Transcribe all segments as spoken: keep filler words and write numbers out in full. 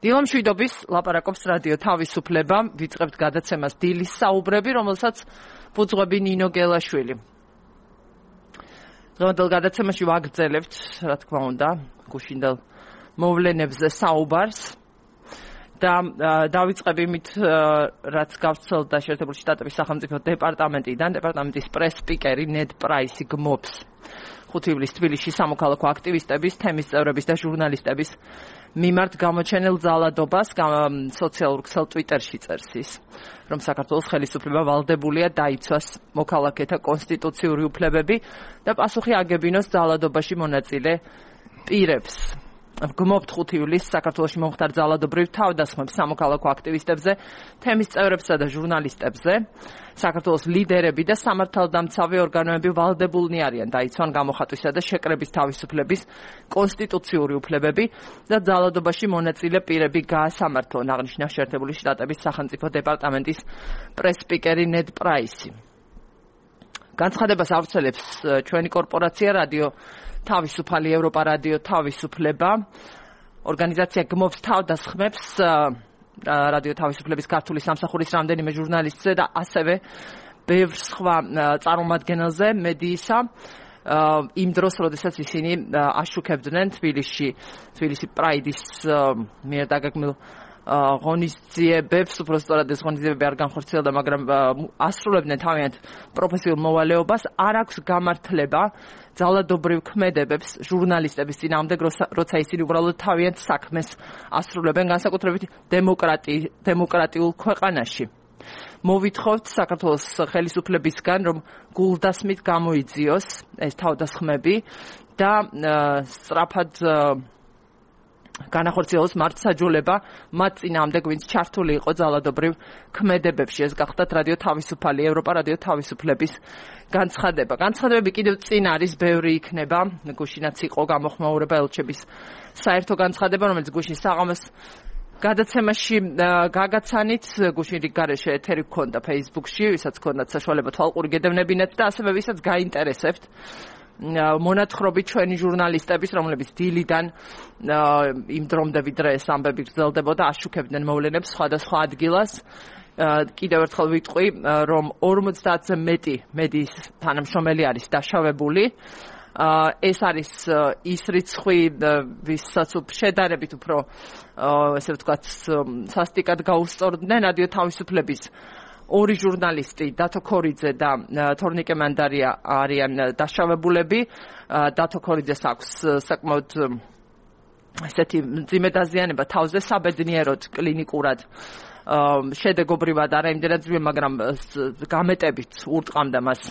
დილამ შვიდობის ლაპარაკობს რადიო თავისუფლება, ვიწყებთ გადაცემას დილის საუბრები, რომელსაც ფუძღვები ნინო გელაშვილი. დღევანდელ გადაცემაში ვაგრძელებთ, რა თქმა უნდა, გუშინდელ მოვლენებზე საუბარს და დავიწყებ იმით, რაც გავრცელდა შეერთებული შტატების სახელმწიფო დეპარტამენტიდან, დეპარტამენტის პრეს-სპიკერი ნედ პრაისი გმობს ხუთი ივლისს თბილისში სამოქალაქო აქტივისტების, თემის წევრების და ჟურნალისტების მიმართ გამოჩენილ ძალადობას სოციალურ ქსელ ტვიტერში წერს ის, რომ საქართველოს ხელისუფლება ვალდებულია დაიცვას მოქალაქეთა კონსტიტუციური უფლებები და პასუხი აგებინოს ძალადობაში მონაწილე პირებს. გმობთ ხუთი ივლისს საქართველოში მომხდარ ძალადობრივ თავდასხმებს სამოქალაქო აქტივისტებზე, თემის წევრებსა და ჟურნალისტებზე. საქართველოს ლიდერები და სამართალდამცავი ორგანოები ვალდებულნი არიან დაიცვან გამოხატვისა და შეკრების თავისუფლების კონსტიტუციური უფლებები და ძალადობაში მონაწილე პირები გაასამართლონ, აღნიშნა შეერთებული შტატების სახელმწიფო დეპარტამენტის პრეს-სპიკერი ნედ პრაისი. განცხადებას ავრცელებს ჩვენი კორპორაცია რადიო თავისუფალი ევროპა რადიო თავისუფლება. ორგანიზაცია გმობს თავდასხმებს რადიო თავისუფლების ქართული სამსახურის რამდენიმე ჟურნალისტზე და ასევე ბევრ სხვა წარმომადგენელზე მედიისა იმ დროს, როდესაც ისინი აშუქებდნენ თბილისში, თბილისი პრაიდის მიერ დაგეგმილ ღონისძიებებს, უბრალოდ ეს ღონისძიებები არ განხორციელდა, მაგრამ ასრულებდნენ თავიანთ პროფესიულ მოვალეობას, არ აქვს გამართლება ძალადობრივ ქმედებებს ჟურნალისტების წინააღმდეგ, როცა ისინი უბრალოდ თავიანთ საქმეს ასრულებენ, განსაკუთრებით დემოკრატიულ ქვეყანაში. მოვითხოვთ საქართველოს ხელისუფლებისგან, რომ გულდასმით გამოიძიოს ეს თავდასხმები და სწრაფად განახორციელოს მართლმსაჯულება მათ წინააღმდეგ, ვინც ჩართული იყო ძალადობრივ ქმედებებში. ეს გახლდათ რადიო თავისუფალი ევროპა რადიო თავისუფლების განცხადება. განცხადებები კიდევ წინ არის, ბევრი იქნება, გუშინაც იყო გამოხმაურება ელჩების საერთო განცხადება, რომელიც გუშინ საღამოს გადაცემაში გაგაცანით, გუშინ რიგ გარეშე ეთერი გქონდა Facebook-ში, ვისაც გქონდათ საშუალება თვალყური გედევნებინათ და ასევე ვისაც გაინტერესებთ მონათხრობი ჩვენი ჟურნალისტების, რომლებიც დილიდან იმ დრომდე ვიდრე ეს ამბები გრძელდებოდა, აშუქებდნენ მოვლენებს სხვადასხვა ადგილას. კიდევ ერთხელ ვიტყვი, რომ ორმოცდაათზე მეტი მედიის თანამშრომელი არის დაშავებული. ეს არის ის რიცხვი, ვისაც შედარებით უფრო, ესე ვთქვათ, სასტიკად გაუსწორდნენ რადიო თავისუფლების ორი ჟურნალისტი, დათო ქორიძე და თორნიკე მანდარია არიან დაშავებულები. დათო ქორიძეს აქვს საკმაოდ ესეთი მძიმე დაზიანება თავზე, საბედნიეროდ კლინიკურად შედეგობრივად არა იმდენად ძვირ, მაგრამ გამეტებით ურტყამდა მას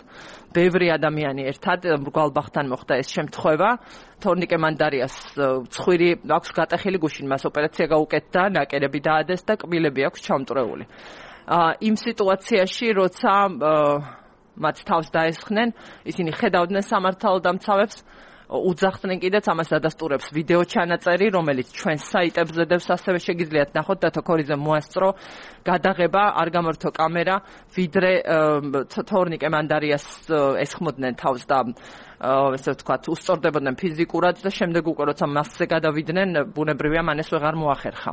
ბევრი ადამიანი ერთად, მრგვალბახთან მოხდა ეს შემთხვევა. თორნიკე მანდარიას ცხვირი აქვს გატეხილი, გუშინ მას ოპერაცია გაუკეთდა, ნაკერები დაადეს და კბილები აქვს ჩამწრეული. იმ სიტუაციაში, როცა მათ თავს დაესხნენ, ისინი ხედავდნენ სამართალდამცავებს, უძახდნენ კიდეც, ამას ადასტურებს ვიდეო ჩანაწერი, რომელიც ჩვენ საიტებზე დევს, ასევე შეგიძლიათ ნახოთ, დათო ქორიძემ მოასწრო გადაღება, არ გამორთო კამერა, ვიდრე თორნიკე მანდარიას ესხმოდნენ თავს და ესე ვთქვათ, უსწორდებოდნენ ფიზიკურად და შემდეგ უკვე როცა მასზე გადავიდნენ, ბუნებრივია მან ეს ვეღარ მოახერხა.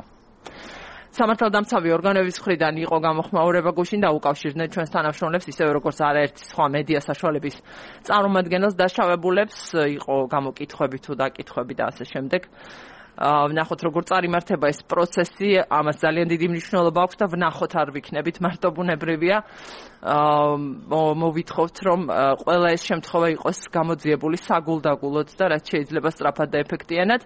სამართალდამცავი ორგანოების მხრიდან იყო გამოხმაურება გუშინ და უკავშირდნენ ჩვენს თანამშრომლებს, ისევე როგორც არაერთი სხვა მედია საშუალების წარმომადგენელს დაშავებულებს, იყო გამოკითხვები თუ დაკითხვები და ასე შემდეგ. ვნახოთ როგორ წარიმართება ეს პროცესი, ამას ძალიან დიდი მნიშვნელობა აქვს და ვნახოთ, არ ვიქნებით მარტო ბუნებრივია. მოვითხოვთ, რომ ყველა ეს შემთხვევა იყოს გამოძიებული საგულდაგულოდ და რაც შეიძლება სწრაფად და ეფექტიანად.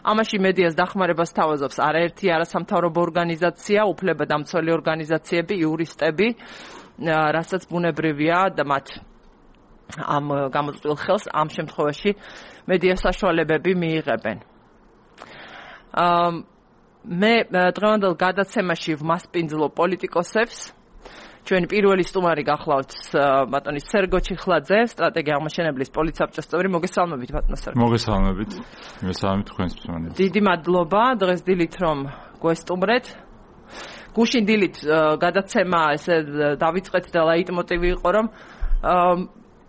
ამაში მედიას დახმარებას თავაზობს არაერთი არასამთავრობო ორგანიზაცია, უფლებადამცველი ორგანიზაციები, იურისტები, რასაც ბუნებრივია და მათ ამ გამოწვეულ ხელს ამ შემთხვევაში მედია საშუალებები მიიღებენ. მე დღევანდელ გადაცემაში ვმასპინძლო პოლიტიკოსებს. ჩვენი პირველი სტუმარი გახლავთ ბატონი სერგო ჩიხლაძე, სტრატეგია აღმაშენებლის პოლიცსაბჭოს წევრი. მოგესალმებით ბატონო სერგო. მოგესალმებით. მოგესალმებით თქვენს მსმენელს. დიდი მადლობა დღეს დილით რომ გვესტუმრეთ. გუშინ დილით გადაცემა ესე დავიწყეთ და ლაიტმოტივი იყო, რომ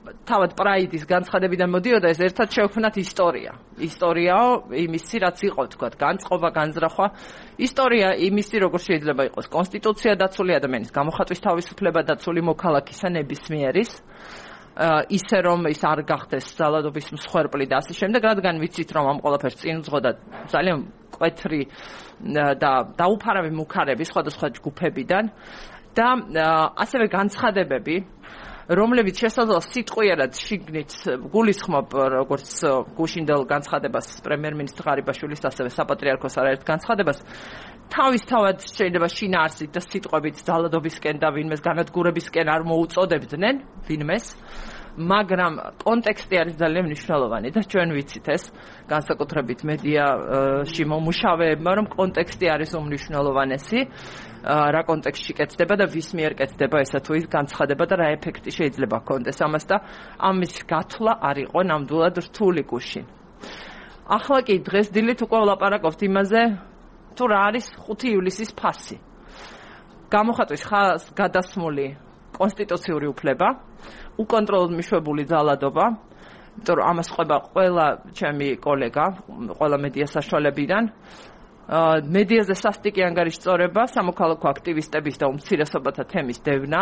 თავად პრაიდის განცხადებიდან მოდიოდა, ეს ერთად შევქმნათ ისტორია. ისტორიაო იმისი, რაც იყო, თქვათ, განწყობა, განზრახვა. ისტორია იმისი, როგორ შეიძლება იყოს კონსტიტუცია დაცული, ადამიანის გამოხატვის თავისუფლება დაცული, მოქალაქისა ნებისმიერის. ისე რომ ის არ გახდეს ძალადობის მსხვერპლი და ასე შემდეგ, რადგან ვიცით რომ ამ ყველაფერს წინ უძღოდა ძალიან მკვეთრი და დაუფარავი მუქარები სხვადასხვა ჯგუფებიდან და ასევე განცხადებები, რომლებიც შესაძლოა სიტყვიერად შიგნით გულისხმობ როგორც გუშინდელ განცხადებას პრემიერ-მინისტრ ღარიბაშვილის, ასევე საპატრიარქოს არაერთ განცხადებას თავისთავად შეიძლება შინაარსით და სიტყვებით ძალადობისკენ და ვინმეს განადგურებისკენ არ მოუწოდებდნენ ვინმეს, მაგრამ კონტექსტი არის ძალიან მნიშვნელოვანი და ჩვენ ვიცით ეს განსაკუთრებით მედიაში მომუშავეებმა, რომ კონტექსტი არის უმნიშვნელოვანესი, რა კონტექსტში კეთდება და ვის მიერ კეთდება ესა თუ ის განცხადება და რა ეფექტი შეიძლება ჰქონდეს ამას და ამის გათვლა არ იყო ნამდვილად რთული გუშინ. ახლა კი დღეს დილით უკვე ვლაპარაკობთ იმაზე, თუ რა არის ხუთი ივლისის ფასი. გამოხატვის ხაზს გადასმული კონსტიტუციური უფლება, უკონტროლოდ მიშვებული ძალადობა, იმიტომ რომ ამას ყვება ყველა ჩემი კოლეგა, ყველა მედია საშუალებიდან. მედიაზე სასტიკი ანგარიშწორება, სამოქალაქო აქტივისტების და უმცირესობათა თემის დევნა.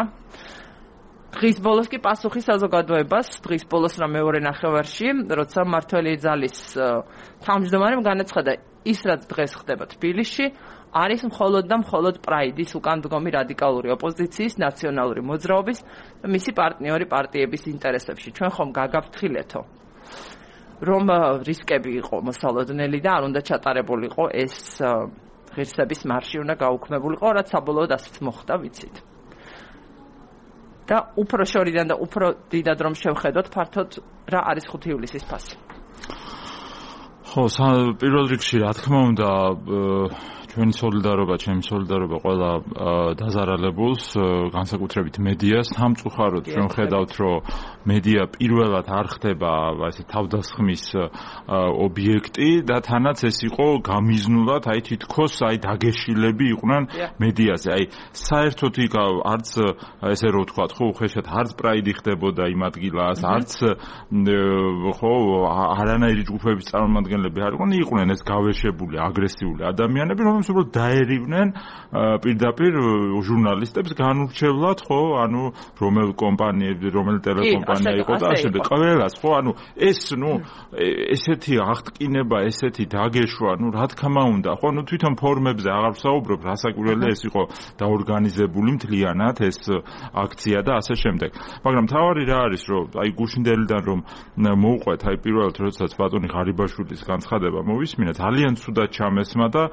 დღის ბოლოს კი პასუხი საზოგადოებას, დღის ბოლოს რა მეორე ნახევარში, როცა მმართველი ძალის თავმჯდომარემ განაცხადა, ის რაც დღეს ხდება თბილისში, არის მხოლოდ და მხოლოდ პრაიდის უკანდგომი რადიკალური ოპოზიციის, ნაციონალური მოძრაობის და მისი პარტნიორი პარტიების ინტერესებში. ჩვენ ხომ გაგაფრთხილეთო, რომ რისკები იყო მოსალოდნელი და არ უნდა ჩატარებულიყო ეს ღირსების მარში უნდა გაუქმებულიყო, რაც საბოლოოდ ასეც მოხდა, ვიცით. და უფრო შორიდან და უფრო დიდად რომ შევხედოთ ფართოდ რა არის ხუთი ივლისის ფასი. ხო, პირველ რიგში რა თქმა უნდა ჩვენი სოლიდარობა, ჩემი სოლიდარობა ყველა დაზარალებულს, განსაკუთრებით მედიას, სამწუხაროდ ჩვენ ხედავთ, რომ მედია პირველად არ ხდება ასე თავდასხმის ობიექტი და თანაც ეს იყო გამიზნულად, აი თითქოს აი დაგეშილები იყვნენ მედიაზე. აი საერთოდ იქ არც ესე რო ვთქვათ, ხო, უხეშად არც პრაიდი ხდებოდა იმ ადგილას, არც ხო, არანაირი ჯგუფების წარმომადგენლები არ იყვნენ, იყვნენ ეს გავეშებული, აგრესიული ადამიანები, რომ უბრალოდ დაერივნენ პირდაპირ ჟურნალისტებს განურჩევლად, ხო, ანუ რომელ კომპანიები, რომელ ტელეკომპანია იყო და ასე ყველას, ხო, ანუ ეს, ნუ, ესეთი აღტკინება, ესეთი დაგეშვა, ნუ, რა თქმა უნდა, ხო, ნუ თვითონ ფორმებზე აღარ ვსაუბრობ, რასაკვირველია ეს იყო დაორგანიზებული მთლიანად ეს აქცია და ასე შემდეგ. მაგრამ თავარი რა არის, რომ აი გუშინდელიდან რომ მოუყვეთ, აი პირველად როდესაც ბატონი ღარიბაშვილის განცხადება მოვისმინა, ძალიან ცუდად ჩამესმა და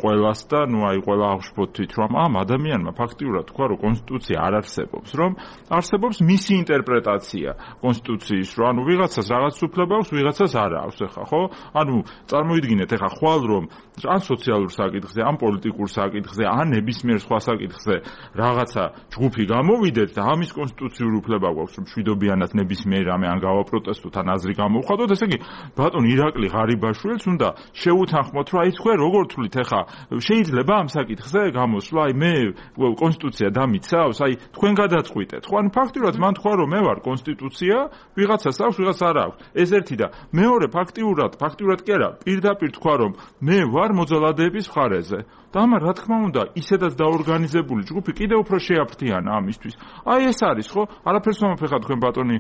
ყველას და ნუ აი ყველა აღშფოთით რომ ამ ადამიანმა ფაქტიურად თქვა რომ კონსტიტუცია არ არსებობს, რომ არსებობს მისი ინტერპრეტაცია კონსტიტუციის, რომ ანუ ვიღაცას რაღაც უფლება აქვს, ვიღაცას არ აქვს, ეხა ხო? ანუ წარმოიდგინეთ ეხა ხვალ რომ ან სოციალურ საკითხზე, ან პოლიტიკურ საკითხზე, ან ნებისმიერ სხვა საკითხზე რაღაცა ჯგუფი გამოვიდეთ და ამის კონსტიტუციური უფლება გვაქვს, რომ მშვიდობიანად ნებისმიერ რამე ან გავაპროტესტოთ, ან აზრი გამოვხატოთ, ესე იგი ბატონ ირაკლი ღარიბაშვილს უნდა შეუთანხმოთ, რომ აი თქვენ როგორ თვლით ეხა შეიძლება ამ საკითხზე გამოსვლა, აი მე კონსტიტუცია დამიცავს, აი თქვენ გადაწყვიტეთ. ხო, ანუ ფაქტიურად მან თქვა რომ მე ვარ კონსტიტუცია, ვიღაცას აქვს, ვიღაცას არ აქვს. ეს ერთი და მეორე ფაქტიურად, ფაქტიურად კი არა, პირდაპირ თქვა რომ მე ვარ მოძალადეების მხარეზე. და ამან რა თქმა უნდა, ისედაც დაორგანიზებული ჯგუფი კიდევ უფრო შეაფრთიანა ამისთვის. აი ეს არის, ხო? არაფერს მომაფეხა თქვენ ბატონი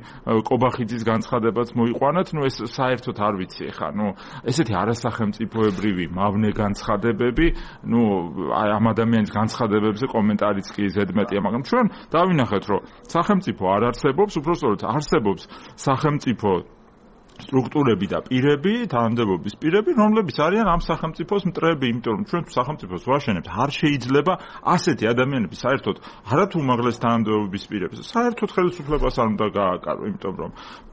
კობახიძის განცხადებაც მოიყვანათ, ნუ ეს საერთოდ არ ვიცი ეხა, ნუ ესეთი არასახელმწიფოებრივი მავნე განცხადებები, ნუ აი ამ ადამიანის განცხადებებზე კომენტარიც კი ზედმეტია, მაგრამ ჩვენ დავინახეთ, რომ სახელმწიფო არ არსებობს, უბრალოდ არსებობს სახელმწიფო სტრუქტურები და პირები, თანამდებობის პირები, რომლებიც არიან ამ სახელმწიფოს მტრები, იმიტომ რომ ჩვენ სახელმწიფოს ვაშენებთ, არ შეიძლება ასეთი ადამიანები საერთოდ არათუ უმაღლეს თანამდებობის პირებს, საერთოდ ხელისუფლებას არ უნდა გააკარო, იმიტომ რომ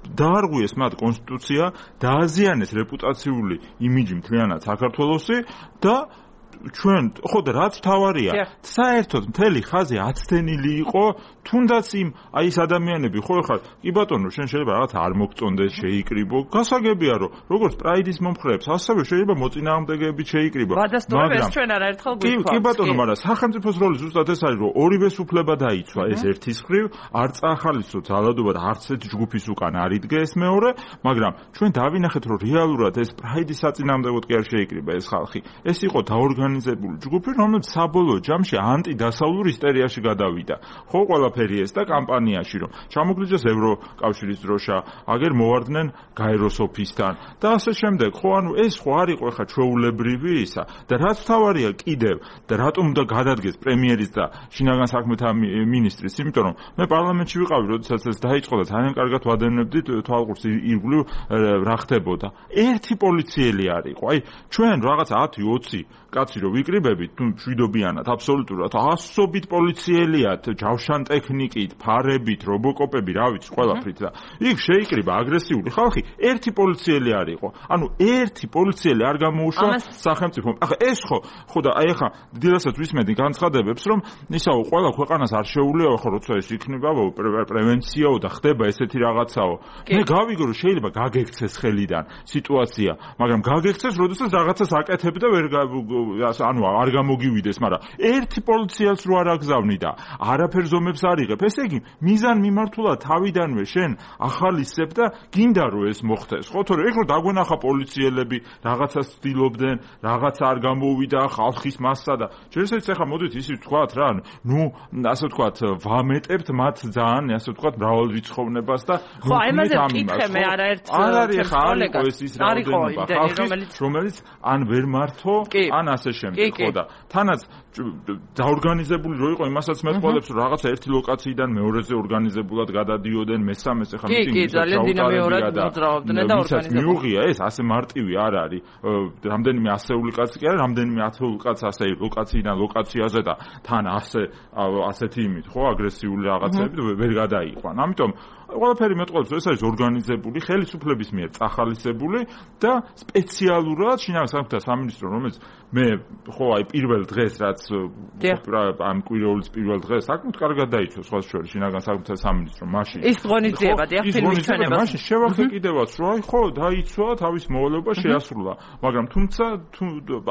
დაარღვიეს მათ კონსტიტუცია, დააზიანეს რეპუტაციული იმიჯი მთლიანად საქართველოსი და ჩვენ ხო და რაც თავარია საერთოდ მთელი ხაზი აცდენილი იყო თუნდაც იმ აი ეს ადამიანები ხო ხარ კი ბატონო შენ შეიძლება რაღაც არ მოგწონდეს შეიკრიბო გასაგებია რომ როგორც პრაიდის მომხრეებს ასევე შეიძლება მოწინააღმდეგეები შეიკრიბო მაგრამ ჩვენ არაერთხელ გვიქვა კი ბატონო მაგრამ სახელმწიფოს როლი ზუსტად ეს არის რომ ორივეს უფლება დაიცვა ეს ერთის ხრივ არ წახალისო ძალადობა და არც ერთ ჯგუფის უკან არ იდგე ეს მეორე მაგრამ ჩვენ დავინახეთ რომ რეალურად ეს პრაიდის საწინააღმდეგოდ კი არ შეიკრიბა ეს ხალხი ეს იყო დაორგანიზებული ჯგუფი რომელიც საბოლოო ჯამში ანტიდასავლურ ისტერიაში გადავიდა ხო ყველაფერი ეს და კამპანიაში რომ ჩამოგლიჯეს ევროკავშირის დროშა აგერ მოვარდნენ გაეროს ოფისთან და ასე შემდეგ ხო ანუ ეს ხო არ იყო ხა ჩვეულებრივი ისა და რაც თავარია კიდევ და რატომ უნდა გადადგეს პრემიერის და შინაგან საქმეთა მინისტრის იმიტომ რომ მე პარლამენტში ვიყავი როდესაც ეს დაიწყო და ძალიან კარგად ვადევნებდით თვალყურს ირგვლივ რა ხდებოდა ერთი პოლიციელი არ იყო აი ჩვენ რაღაც ათი ოცი კაცი რო ვიკრიბებით თუ შვიდობიანად აბსოლუტურად ასობით პოლიციელიათ ჯავშან ტექნიკით ფარებით რობოკოპები რა ვიცი ყველაფრით და იქ შეიკრიბა აგრესიული ხალხი ერთი პოლიციელი არ იყო ანუ ერთი პოლიციელი არ გამოუშვა სახელმწიფომ ახლა ეს ხო ხო და აი ახლა დილასაც ვისმენდი განცხადებებს რომ ისაო ყველა ქვეყანას არ შეუძლია ხო როცა ეს იქნება პრევენციაო და ხდება ესეთი რაღაცაო მე გავიგო რომ შეიძლება გაგექცეს ხელიდან სიტუაცია მაგრამ გაგექცეს როდესაც რაღაცას აკეთებ და ვერ ანუ არ გამოგივიდეს მაგრამ ერთი პოლიციელს რო არ აგზავნი და არაფერ ზომებს არ იღებ ესე იგი მიზან მიმართულად თავიდანვე შენ ახალისებ და გინდა რომ ეს მოხდეს ხო თორე ეგ რო დაგვენახა პოლიციელები რაღაცას ცდილობდნენ რაღაც არ გამოუვიდა ხალხის მასსა და შეიძლება ეხლა მოდით ისიც ვთქვათ რა ნუ ასე ვთქვათ ვამეტებთ მათ ძალიან ასე ვთქვათ მრავალრიცხოვნებას და ხო აი ამაზე ვკითხე მე არაერთხელ არ არის ხა არ იყო ეს ის რაოდენობა ხალხის რომელიც ან ვერ მართო ან ასე შემდეგ ხო და თანაც დაორგანიზებული რო იყო იმასაც მეტყოლებს რომ რაღაცა ერთი ლოკაციიდან მეორეზე ორგანიზებულად გადადიოდნენ მესამეს ახლა მიტინგის ჩაუტარებია და ვისაც მიუღია ეს ასე მარტივი არ არის რამდენიმე ასეული კაცი კი არა რამდენიმე ათეული კაც ასე ლოკაციიდან ლოკაციაზე და თან ასე ასეთი იმით ხო აგრესიული რაღაცები ვერ გადაიყვან ამიტომ ყველაფერი მეტყოლებს ეს არის ორგანიზებული ხელისუფლების მიერ წახალისებული და სპეციალურად შინაგან საქმეთა სამინისტრო რომელიც მე ხო აი პირველ დღეს რაც ამ კვირეულის პირველ დღეს საკმაოდ კარგად დაიცვა სხვა შორის შინაგან საქმეთა სამინისტრო მაშინ ის ღონისძიება დიახ ფილმის ჩვენებას მაშინ შევახე კიდევაც რომ აი ხო დაიცვა თავის მოვალეობა შეასრულა მაგრამ თუმცა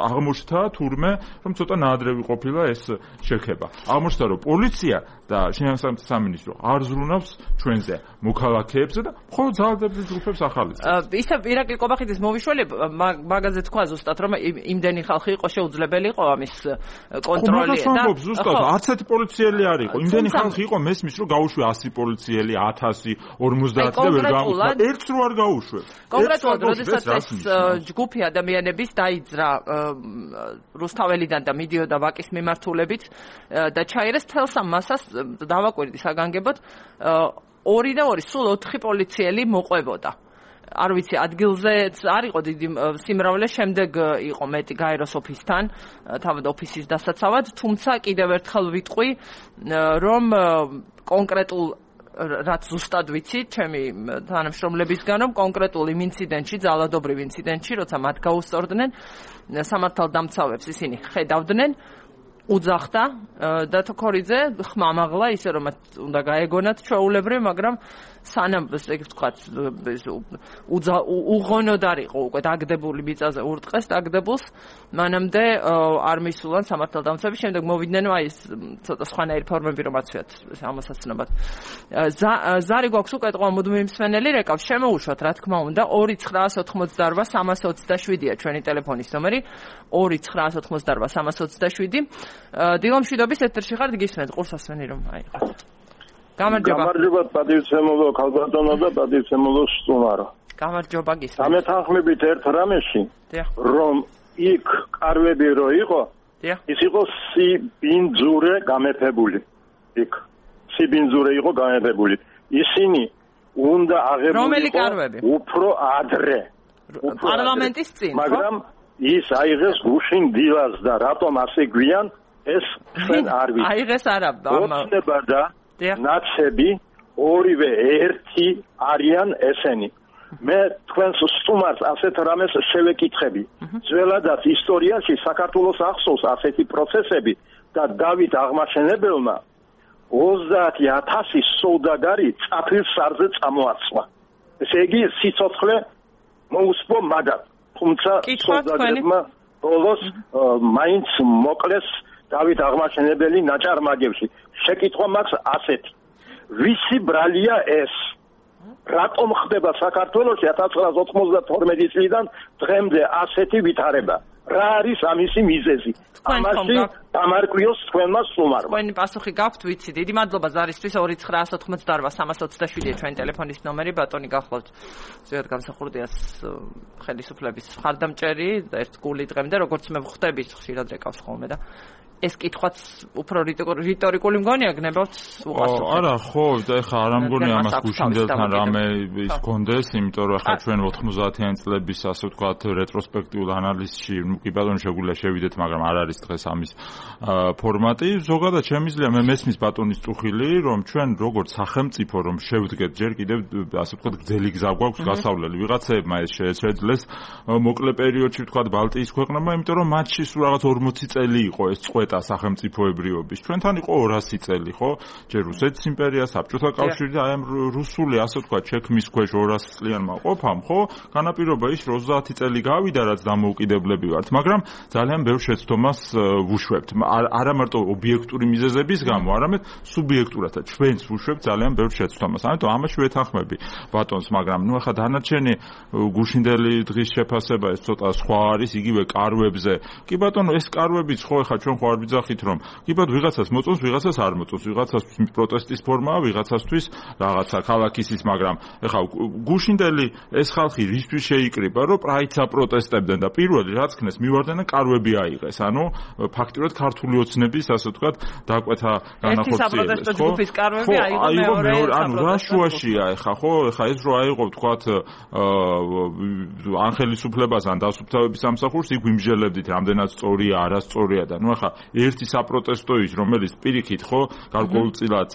აღმოჩნდა თურმე რომ ცოტა ნაადრევი ყოფილა ეს შექება აღმოჩნდა რომ პოლიცია და შინაგან საქმეთა სამინისტრო არ ზრუნავს ჩვენზე მოქალაქეებზე და მხოლოდ ძალადობრივ ჯგუფებს ახალისებს. ისე ირაკლი კობახიძის მოვიშველე მაგაზე თქვა ზუსტად რომ იმდენი ხალხი იყო შეუძლებელი იყო ამის კონტროლი და ზუსტად არც ერთი პოლიციელი არ იყო. იმდენი ხალხი იყო მესმის რომ გაუშვე ასი პოლიციელი, ათასი, ორმოცდაათი და ვერ გაუშვე. ერთს რო არ გაუშვე. კონკრეტულად როდესაც ეს ჯგუფი ადამიანების დაიძრა რუსთაველიდან და მიდიოდა ვაკის მიმართულებით და ჩაიერეს თელს ამ მასას დავაკვირდი საგანგებოდ ორი და ორი სულ ოთხი პოლიციელი მოყვებოდა. არ ვიცი ადგილზეც არ იყო დიდი სიმრავლე, შემდეგ იყო მეტი გაეროს ოფისთან, თავად ოფისის დასაცავად, თუმცა კიდევ ერთხელ ვიტყვი, რომ კონკრეტულ რაც ზუსტად ვიცი, ჩემი თანამშრომლებისგან, რომ კონკრეტულ იმ ინციდენტში, ძალადობრივ ინციდენტში, როცა მათ გაუსწორდნენ, სამართალდამცავებს ისინი ხედავდნენ, უძახდა დათოქორიძე ხმამაღლა ისე რომ უნდა გაეგონათ ჩვეულებრივ, მაგრამ სანამ ესე ვთქვათ უღონოდ არ იყო უკვე დაგდებული მიწაზე ურტყეს დაგდებულს მანამდე არ მისულან სამართალდამცავები შემდეგ მოვიდნენ აი ეს ცოტა სხვანაირი ფორმები რომ აცვიათ ამასაცნობად ზარი გვაქვს უკვე ყო მუდმივი მსმენელი რეკავს შემოუშვათ რა თქმა უნდა ორი ცხრაას ოთხმოცდაორვა სამას ოცდაშვიდია ჩვენი ტელეფონის ნომერი ორი ცხრაას ოთხმოცდაორვა სამას ოცდაშვიდი დილომშვიდობის ეთერში ხართ გისმენთ ყურსასმენი რომ აიღოთ გამარჯობა. გამარჯობა პატივცემულო ქალბატონო და პატივცემულო სტუმარო. გამარჯობა გისმენთ. ამეთანხმებით ერთ რამეში, რომ იქ კარვები რო იყო, ის იყო სიბინძურე გამეფებული. იქ სიბინძურე იყო გამეფებული. ისინი უნდა აღებულიყო უფრო ადრე. პარლამენტის წინ, ხო? მაგრამ ის აიღეს გუშინ დილას და რატომ ასე გვიან ეს ჩვენ არ ვიცი. აიღეს არა, ოცნება და ნაცები ორივე ერთი არიან ესენი. მე თქვენს სტუმარს ასეთ რამეს შევეკითხები. ძველადაც ისტორიაში საქართველოს ახსოვს ასეთი პროცესები და დავით აღმაშენებელმა ოცდაათი ათასი სოუდაგარი წაფილ სარზე წამოაცვა. ესე იგი სიცოცხლე მოუსპო მაგათ. თუმცა სოუდაგერმა ბოლოს მაინც მოკლეს დავით აღმაშენებელი ნაჭარმაგებში. შეკითხვა მაქვს ასეთი. ვისი ბრალია ეს? რატომ ხდება საქართველოში ათას ცხრაასი ოთხმოცდათორმეტი წლიდან დღემდე ასეთი ვითარება? რა არის ამისი მიზეზი? ამაში დამარკვიოს თქვენმა სტუმარმა. თქვენი პასუხი გაქვთ, ვიცი. დიდი მადლობა ზარისთვის. ორი ცხრაასი ოთხმოცდაოთხ სამას ოცდაშვიდია ჩვენი ტელეფონის ნომერი. ბატონი გახლავთ ზოგადად გამსახურდიას ხელისუფლების მხარდამჭერი და ერთ გული დღემდე როგორც მე ვხვდები ხშირად რეკავს ხოლმე და ეს კითხვაც უფრო რიტორიკული მგონია გნებავთ უყასო. არა, ხო, და ეხლა არ ამგონია ამას გუშინდელთან რამე ის გქონდეს, იმიტომ რომ ახლა ჩვენ ოთხმოცდაათიანი წლების ასე ვთქვათ რეტროსპექტიულ ანალიზში, ნუ კი ბატონო შეგვიძლია შევიდეთ, მაგრამ არ არის დღეს ამის ფორმატი. ზოგადად შემიძლია მე მესმის ბატონის წუხილი, რომ ჩვენ როგორც სახელმწიფო რომ შევდგეთ ჯერ კიდევ ასე ვთქვათ გრძელი გზა გვაქვს გასავლელი. ვიღაცებმა ეს შეეძლეს მოკლე პერიოდში ვთქვათ ბალტიის ქვეყნებმა, იმიტომ რომ მათში სულ რაღაც ორმოცი წელი იყო ეს წყვეტა სახელმწიფოებრიობის. ჩვენთან იყო ორასი წელი, ხო? ჯერ რუსეთის იმპერია, საბჭოთა კავშირი და აი ამ რუსული ასე ვთქვათ ჩექმის ქვეშ ორასი წლიანმა ყოფამ, ხო? განაპირობა ის რომ ოცდაათი წელი გავიდა, რაც დამოუკიდებლები ვართ, მაგრამ ძალიან ბევრ შეცდომას ვუშვებთ. არა მარტო ობიექტური მიზეზების გამო, არამედ სუბიექტურათა ჩვენც ვუშვებთ ძალიან ბევრ შეცდომას. ამიტომ ამაში ვეთანხმები ბატონს, მაგრამ ნუ ახლა დანარჩენი გუშინდელი დღის შეფასება ეს ცოტა სხვა არის, იგივე კარვებზე. კი ბატონო, ეს კარვებიც ხო ახლა ჩვენ ხო არ ვიძახით რომ კი ბატონო ვიღაცას მოწონს, ვიღაცას არ მოწონს, ვიღაცასთვის პროტესტის ფორმაა, ვიღაცასთვის რაღაცა ქალაქის ის, მაგრამ ახლა გუშინდელი ეს ხალხი რისთვის შეიკრიბა, რომ პრაიდს აპროტესტებდნენ და პირველი რაც ქნეს მივარდნენ კარვები აიღეს. ანუ ფაქტიურად ქართული ოცნების ასე ვთქვათ დაკვეთა განახორციელეს. ხო? ჯგუფის კარვები აიღო მეორე. ანუ რა შუაშია ახლა, ხო? ახლა ეს რო აიღო ვთქვათ ან ხელისუფლებას ან დასუფთავების სამსახურს იქ ვიმჟელებდით, რამდენად სწორია, არასწორია და ნუ ახლა ერთი საპროტესტო ის რომელიც პირიქით ხო გარკვეულწილად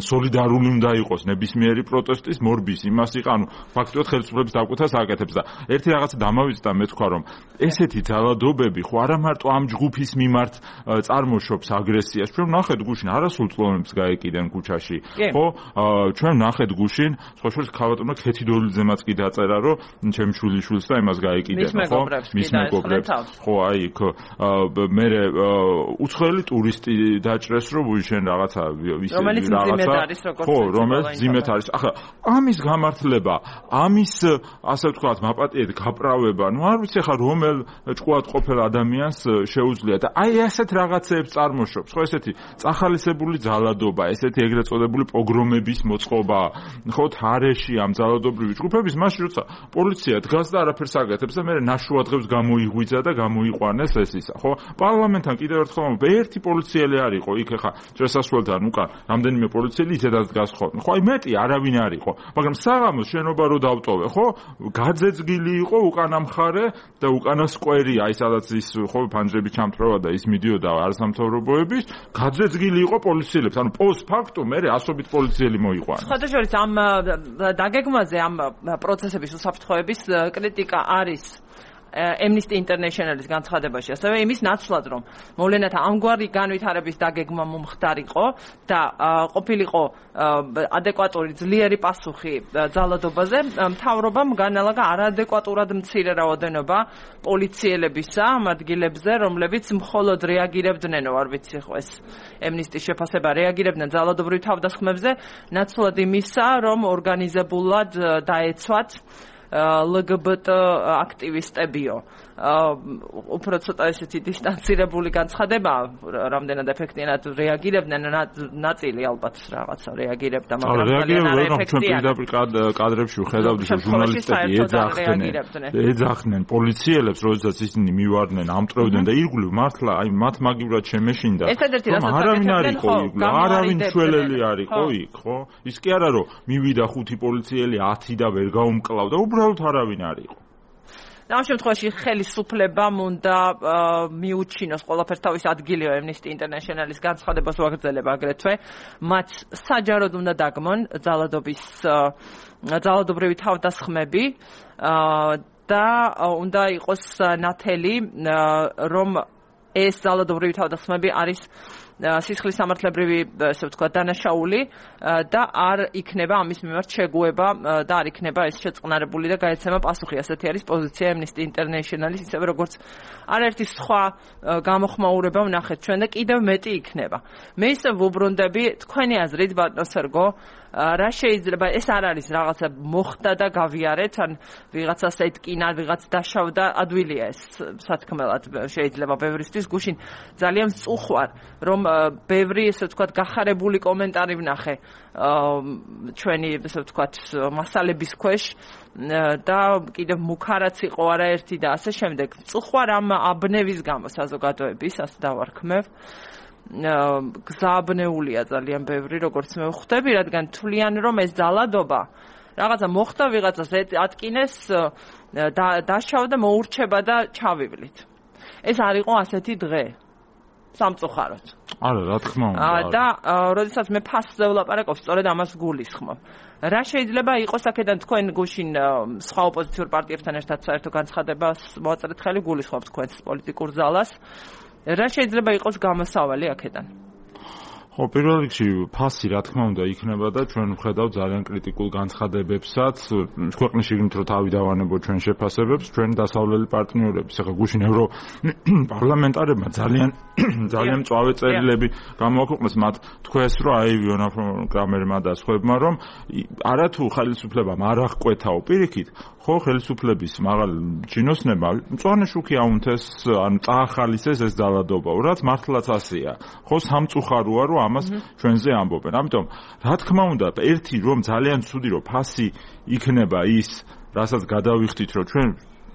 სოლიდარული უნდა იყოს ნებისმიერი პროტესტის მორბის იმას იყო ანუ ფაქტობრივად ხელისუფლების დაკვეთას აკეთებს და ერთი რაღაცა დამავიწყდა მე თქვა რომ ესეთი ძალადობები ხო არა მარტო ამ ჯგუფის მიმართ წარმოშობს აგრესიას ჩვენ ნახეთ გუშინ არასრულ წლოვნებს გაეკიდენ ქუჩაში ხო ჩვენ ნახეთ გუშინ სხვა შორის ქალბატონმა ქეთიდოლიძემაც კი დაწერა რომ ჩემი შვილიშვილს და იმას გაეკიდენ ხო მის მეგობრებს ხო აი იქ მე უცხოელი ტურისტი დაჭრეს რომ ვიშენ რაღაცა ის რაღაცა ხო რომელიც ძიმეთ არის ახლა ამის გამართლება ამის ასე ვთქვათ მაპატიეთ გაპრავება ნუ არ ვიცი ახლა რომელ ჭკუად ყოფილ ადამიანს შეუძლია და აი ასეთ რაღაცეებს წარმოშობს ხო ესეთი წახალისებული ძალადობა ესეთი ეგრეთ წოდებული პოგრომების მოწყობა ხო თარეში ამ ძალადობრივი ჯგუფების მაშინ როცა პოლიცია დგას და არაფერს აკეთებს და მე ნაშუადღებს გამოიღვიძა და გამოიყვანეს ეს ისა ხო პარლამენტთან კიდევ ერთხელ ერთი პოლიციელი არ იყო იქ ახლა შესასვლელთან უკან რამდენიმე პოლიციელი ისედაც დგას ხო ხო აი მეტი არავინ არ იყო მაგრამ საღამოს შენობა რო დავტოვე ხო გაძეძგილი იყო უკანა მხარე და უკანა სკვერი აი სადაც ის ხო ფანჯრები ჩამთრევა და ის მიდიოდა არასამთავრობოების გაძეძგილი იყო პოლიციელებს ანუ პოსტ ფაქტუმ მე ასობით პოლიციელი მოიყვანა სხვადასხვა ამ დაგეგმვაზე ამ პროცესების უსაფრთხოების კრიტიკა არის Amnesty International-ის განცხადებაში, ასევე იმის ნაცვლად, რომ მოვლენათა ამგვარი განვითარების დაგეგმა მომხდარიყო და ყოფილიყო ადეკვატური ძლიერი პასუხი ძალადობაზე, მთავრობამ განალაგა არაადეკვატურად მცირე რაოდენობა პოლიციელებისა ამ ადგილებზე, რომლებიც მხოლოდ რეაგირებდნენ, არ ვიცი ხო ეს Amnesty-ის შეფასება, რეაგირებდნენ ძალადობრივ თავდასხმებზე, ნაცვლად იმისა, რომ ორგანიზებულად დაეცვათ ლგბტ აქტივისტებიო. უფრო ცოტა ესეთი დისტანცირებული განცხადება, რამდენად ეფექტიანად რეაგირებდნენ, ნაწილი ალბათ რაღაცა რეაგირებდა, მაგრამ ძალიან არაეფექტიანად. კადრებში ვხედავდი, რომ ჟურნალისტები ეძახდნენ, ეძახდნენ პოლიციელებს, როდესაც ისინი მივარდნენ, ამტყევდნენ და ირგვლივ მართლა, აი მათ მაგივრად შემეშინდა. რომ არავინ არ იყო იქ, არავინ შველელი არ იყო იქ, ხო? ის კი არა რომ მივიდა ხუთი პოლიციელი, ათი და ვერ გაუმკლავდა, უბრალოდ არავინ არ იყო. ამ შემთხვევაში ხელისუფლებამ უნდა მიუჩინოს ყველაფერს თავის ადგილივე Amnesty International-ის განცხადებას ვაგრძელებ აგრეთვე, მათ საჯაროდ უნდა დაგმონ ძალადობის ძალადობრივი თავდასხმები და უნდა იყოს ნათელი, რომ ეს ძალადობრივი თავდასხმები არის სისხლის სამართლებრივი, ესე ვთქვათ, დანაშაული და არ იქნება ამის მიმართ შეგუება და არ იქნება ეს შეწყნარებული და გაეცემა პასუხი. ასეთი არის პოზიცია Amnesty International-ის, ისევე როგორც არაერთი სხვა გამოხმაურება ვნახეთ ჩვენ და კიდევ მეტი იქნება. მე ისე ვუბრუნდები თქვენი აზრით, ბატონო სერგო, რა შეიძლება, ეს არ არის რაღაცა მოხდა და გავიარეთ, ან ვიღაცას ეთკინა, ვიღაც დაშავდა, ადვილია ეს სათქმელად შეიძლება ბევრისთვის გუშინ ძალიან წუხვარ, რომ ბევრი, ესე ვთქვათ, გახარებული კომენტარი ვნახე ჩვენი, ესე ვთქვათ, მასალების ქვეშ და კიდევ მუქარაც იყო არაერთი და ასე შემდეგ. წუხვარ ამ აბნევის გამო საზოგადოების, ასე დავარქმევ. გზაბნეულია ძალიან ბევრი, როგორც მე ვხვდები, რადგან თვლიან, რომ ეს ძალადობა რაღაცა მოხდა, ვიღაცას ატკინეს, დაშავდა, მოურჩება და ჩავივლით. ეს არ იყო ასეთი დღე. სამწუხაროდ. არა, რა თქმა უნდა. და როდესაც მე ფასზე ვლაპარაკობ, სწორედ ამას გულისხმობ. რა შეიძლება იყოს აქედან თქვენ გუშინ სხვა ოპოზიციურ პარტიებთან ერთად საერთო განცხადებას მოაწერეთ ხელი, გულისხმობ თქვენს პოლიტიკურ ზალას. რა შეიძლება იყოს გამოსავალი აქედან? ხო, პირველ რიგში ფასი რა თქმა უნდა იქნება და ჩვენ ვხედავთ ძალიან კრიტიკულ განცხადებებსაც ქვეყნის შიგნით რომ თავი დავანებო ჩვენ შეფასებებს, ჩვენ დასავლელი პარტნიორების. ახლა გუშინ ევრო პარლამენტარებმა ძალიან ძალიან მწვავე წერილები გამოაქვეყნეს, მათ თქვეს, რომ აი ვიონაფრონ კრამერმა და სხვებმა, რომ არათუ ხელისუფლებამ არ აღკვეთაო პირიქით, ხო, ხელისუფლების მაღალ ჩინოსნებმა მწვანე შუქი აუნთეს, ან წაახალისეს ეს ძალადობა, რაც მართლაც ასეა. ხო, სამწუხაროა, რომ ამას ჩვენზე ამბობენ. ამიტომ, რა თქმა უნდა, ერთი რომ ძალიან ცუდი რომ ფასი იქნება ის, რასაც გადავიხდით, რომ ჩვენ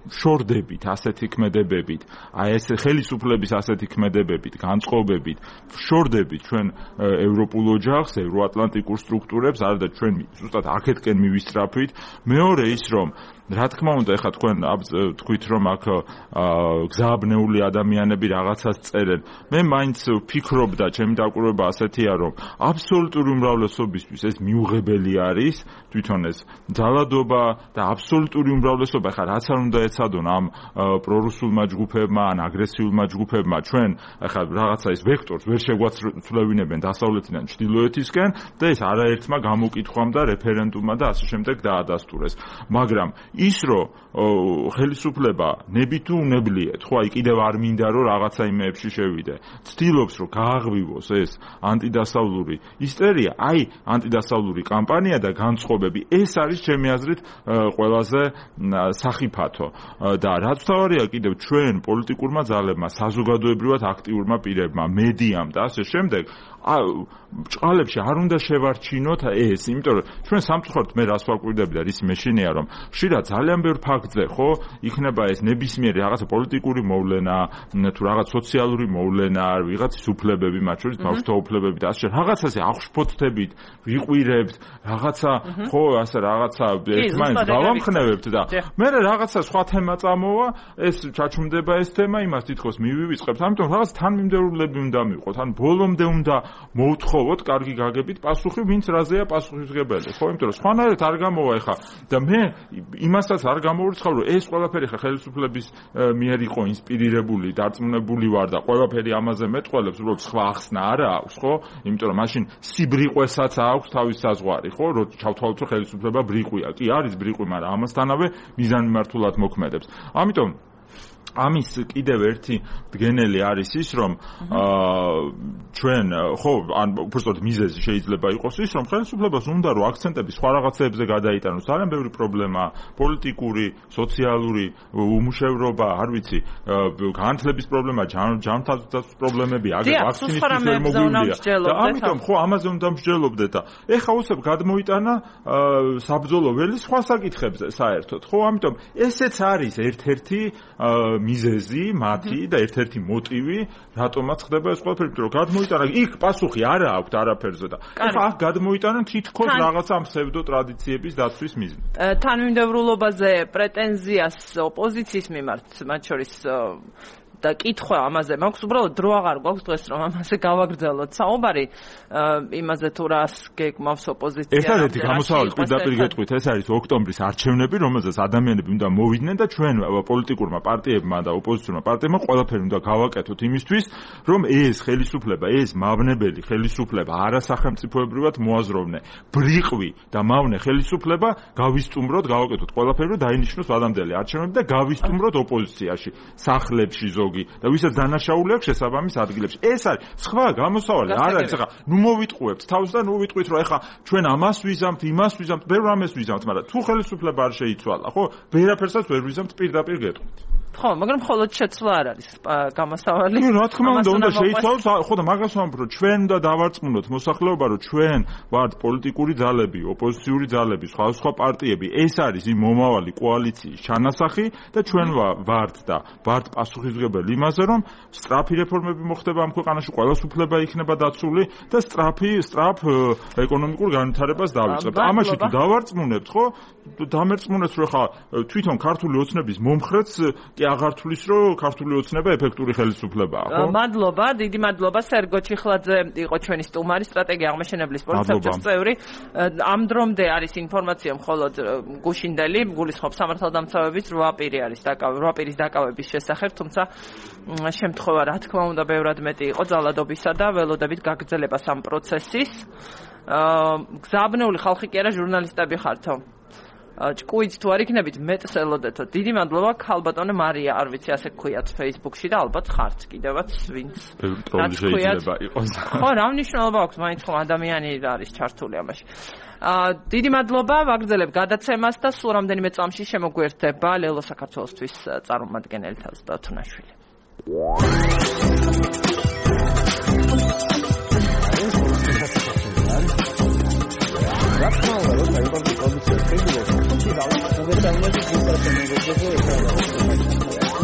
შორდებით ასეთი ქმედებებით, აი ეს ხელისუფლების ასეთი ქმედებებით, განწყობებით, შორდებით ჩვენ ევროპულ ოჯახს, ევროატლანტიკურ სტრუქტურებს, არა და ჩვენ ზუსტად აქეთკენ მივისწრაფვით. მეორე ის რომ რა თქმა უნდა, ეხლა თქვენ თქვით, რომ აქ გზააბნეული ადამიანები რაღაცას წერენ. მე მაინც ვფიქრობ და ჩემი დაკვირვება ასეთია, რომ აბსოლუტური უმრავლესობისთვის ეს მიუღებელი არის, თვითონ ეს ძალადობა და აბსოლუტური უმრავლესობა, ეხლა რაც არ უნდა ეცადონ ამ პრორუსულმა ჯგუფებმა, ან აგრესიულმა ჯგუფებმა, ჩვენ ეხლა რაღაცა ის ვექტორს ვერ შეგვაცვლევინებენ დასავლეთიდან ჩრდილოეთისკენ და ეს არაერთმა გამოკითხვამ და რეფერენდუმმა და ასე შემდეგ დაადასტურეს. მაგრამ ის რომ ხელისუფლება ნებით თუ უნებლიეთ, ხო, აი კიდევ არ მინდა რომ რაღაცა იმეებში შევიდე. ცდილობს რომ გააღვივოს ეს ანტიდასავლური ისტერია, აი ანტიდასავლური კამპანია და განწყობები, ეს არის ჩემი აზრით ყველაზე სახიფათო. და რაც თავარია კიდევ ჩვენ პოლიტიკურმა ძალებმა, საზოგადოებრივად აქტიურმა პირებმა, მედიამ და ასე შემდეგ, ჭყალებში არ უნდა შევარჩინოთ ეს, იმიტომ რომ ჩვენ სამწუხაროდ მე რას ვაკვირდები და რის მეშინია, რომ ხშირად ძალიან ბევრ ფაქტზე, ხო, იქნება ეს ნებისმიერი რაღაცა პოლიტიკური მოვლენა, თუ რაღაც სოციალური მოვლენა, ვიღაცის უფლებები, მათ შორის ბავშვთა უფლებები და ასე რაღაცაზე აღშფოთდებით, ვიყვირებთ, რაღაცა, ხო, ასე რაღაცა ერთმანეთს გავამხნევებთ და მე რაღაცა სხვა თემა წამოვა, ეს ჩაჩუმდება ეს თემა, იმას თითქოს მივივიწყებთ, ამიტომ რაღაც თანმიმდევრულები უნდა მივყოთ, ან ბოლომდე უნდა მოვთხოვოთ კარგი გაგებით პასუხი, ვინც რაზეა პასუხისმგებელი, ხო, იმიტომ რომ სხვანაირად არ გამოვა ეხა და მე იმასაც არ გამოვირცხავ, რომ ეს ყველაფერი ხა ხელისუფლების მიერ იყო ინსპირირებული, დარწმუნებული ვარ და ყველაფერი ამაზე მეტყველებს, უბრალოდ სხვა ახსნა არა აქვს, ხო? იმიტომ რომ მაშინ სიბრიყვესაც აქვს თავის საზღვარი, ხო? რომ ჩავთვალოთ, რომ ხელისუფლება ბრიყვია. კი, არის ბრიყვი, მაგრამ ამასთანავე მიზანმიმართულად მოქმედებს. ამიტომ ამის კიდევ ერთი დგენელი არის ის, რომ ჩვენ, ხო, ან უბრალოდ მიზეზი შეიძლება იყოს ის, რომ ხელისუფლებას უნდა რომ აქცენტები სხვა რაღაცებზე გადაიტანოს. ძალიან ბევრი პრობლემა, პოლიტიკური, სოციალური უმუშევრობა, არ ვიცი, განათლების პრობლემა, ჯანმრთელობის პრობლემები, აგერ ვაქცინის შემოგვივლია. და ამიტომ ხო, ამაზე უნდა მსჯელობდეთ და ეხა უსებ გადმოიტანა საბრძოლო ველი სხვა საკითხებზე საერთოდ. ხო, ამიტომ ესეც არის ერთ-ერთი მიზეზი მათი და ერთ-ერთი მოტივი რატომაც ხდება ეს ყველაფერი, რომ გადმოიტანა იქ პასუხი არა აქვს არაფერზე და ახლა აქ გადმოიტანენ თითქოს რაღაცა ფსევდო ტრადიციების დაცვის მიზნით. თანმიმდევრულობაზე პრეტენზიას ოპოზიციის მიმართ, მათ შორის და კითხვა ამაზე მაქვს, უბრალოდ დრო აღარ გვაქვს დღეს რომ ამაზე გავაგრძელოთ საუბარი იმაზე თუ რას გეკმავს ოპოზიცია. ერთადერთი გამოსავალი პირდაპირ გეტყვით ეს არის ოქტომბრის არჩევნები, რომელზეც ადამიანები უნდა მოვიდნენ და ჩვენ პოლიტიკურმა პარტიებმა და ოპოზიციურმა პარტიებმა ყველაფერი უნდა გავაკეთოთ იმისთვის, რომ ეს ხელისუფლება, ეს მავნებელი ხელისუფლება არასახელმწიფოებრივად მოაზროვნე, ბრიყვი და მავნე ხელისუფლება გავისტუმროთ, გავაკეთოთ ყველაფერი, რომ დაინიშნოს ადამიანები არჩევნები და გავისტუმროთ ოპოზიციაში, სახლებში და ვისაც დანაშაული აქვს შესაბამის ადგილებში. ეს არის სხვა გამოსავალი არ არის. ახლა ნუ მოვიტყუებთ თავს და ნუ ვიტყვით რომ ახლა ჩვენ ამას ვიზამთ, იმას ვიზამთ, ბევრ რამეს ვიზამთ, მაგრამ თუ ხელისუფლება არ შეიცვალა, ხო? ვერაფერსაც ვერ ვიზამთ, პირდაპირ გეტყვით. ხო, მაგრამ მხოლოდ შეცვლა არ არის გამოსავალი. ნუ რა თქმა უნდა, უნდა შეიცვალოს, ხო და მაგას ვამბობ, რომ ჩვენ უნდა დავარწმუნოთ მოსახლეობა, რომ ჩვენ ვართ პოლიტიკური ძალები, ოპოზიციური ძალები, სხვა სხვა პარტიები. ეს არის იმ მომავალი კოალიციის ჩანასახი და ჩვენ ვართ და ვართ პასუხისმგებელი იმაზე, რომ სწრაფი რეფორმები მოხდება ამ ქვეყანაში, ყველას უფლება იქნება დაცული და სწრაფი, სწრაფ ეკონომიკურ განვითარებას დავიწყებთ. ამაში თუ დავარწმუნებთ, ხო? დამერწმუნეთ, რომ ხა თვითონ ქართული ოცნების მომხრეც კი აღარ თulis, რომ ქართული ოცნება ეფექტური ხელისუფლებაა, ხო? მადლობა, დიდი მადლობა. სერგო ჩიხლაძე იყო ჩვენი სტუმარი, სტრატეგია აღმაშენებლის პოლიტსაბჭოს წევრი. ამ დრომდე არის ინფორმაცია მხოლოდ გუშინდელი, გულისხმობს სამართალდამცავების რვა პირი არის დაკავებული, რვა პირის დაკავების შესახებ, თუმცა შემთხვევა რა თქმა უნდა ბევრად მეტი იყო ძალადობისა და ველოდებით გაგრძელებას ამ პროცესის. გზაბნეული ხალხი კი არა, ჟურნალისტები ხართო. ჭკუით თუ არ იქნებით მეტს ელოდეთო. დიდი მადლობა ქალბატონო მარია, არ ვიცი ასე გქვიათ Facebook-ში და ალბათ ხართ კიდევაც ვინც. რა შეიძლება იყოს. ხო, რა მნიშვნელობა აქვს, მაინც ხომ ადამიანი არის ჩართული ამაში. დიდი მადლობა, ვაგრძელებ გადაცემას და სულ რამდენიმე წამში შემოგვერდება ლელო საქართველოსთვის წარმომადგენელი თავს დათუნაშვილი.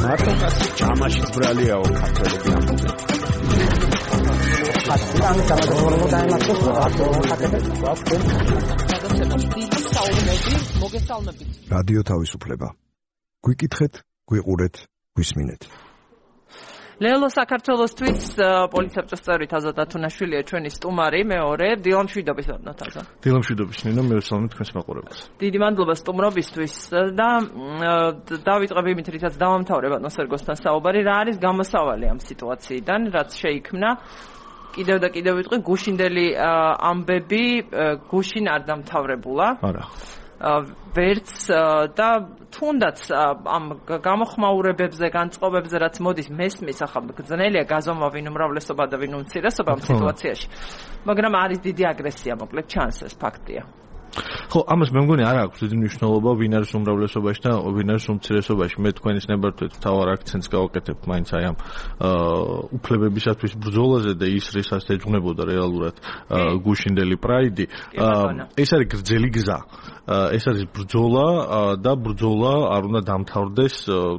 მარტო კაცი ჯამაში ძბრალიაო ქართველები ამბობენ. ამის გამოგონებო დაიმართოს რადიო თავისუფლება. გვიკითხეთ, გვიყურეთ, გვისმინეთ. ლელო საქართველოსთვის პოლიტსაბჭოს წევრი თაზა დათუნაშვილია ჩვენი სტუმარი, მეორე დილამშვიდობის თაზა. დილამშვიდობის ნინო, მე ვსალმე თქვენს მაყურებელს. დიდი მადლობა სტუმრობისთვის და დავიწყებ იმით, რითაც დავამთავრებ ატმოსფეროსთან საუბარი, რა არის გამოსავალი ამ სიტუაციიდან, რაც შეიქმნა. კიდევ და კიდევ ვიტყვი, გუშინდელი ამბები გუშინ არ დამთავრებულა. არა. ვერც და თუნდაც ამ გამოხმაურებებზე, განწყობებზე, რაც მოდის მესმის, ახლა გძნელია გაზომა ვინ უმრავლესობა და ვინ უმცირესობა ამ სიტუაციაში. მაგრამ არის დიდი აგრესია, მოკლედ ჩანს ეს ფაქტია. ხო, ამას მე მგონი არ აქვს დიდი მნიშვნელობა ვინ არის უმრავლესობაში და ვინ არის უმცირესობაში. მე თქვენის ნებართვით თავარ აქცენტს გავაკეთებ მაინც აი ამ უფლებებისათვის ბრძოლაზე და ის რისაც ეძღვნებოდა რეალურად გუშინდელი პრაიდი. ეს არის გრძელი გზა. ეს არის ბრძოლა და ბრძოლა არ უნდა დამთავრდეს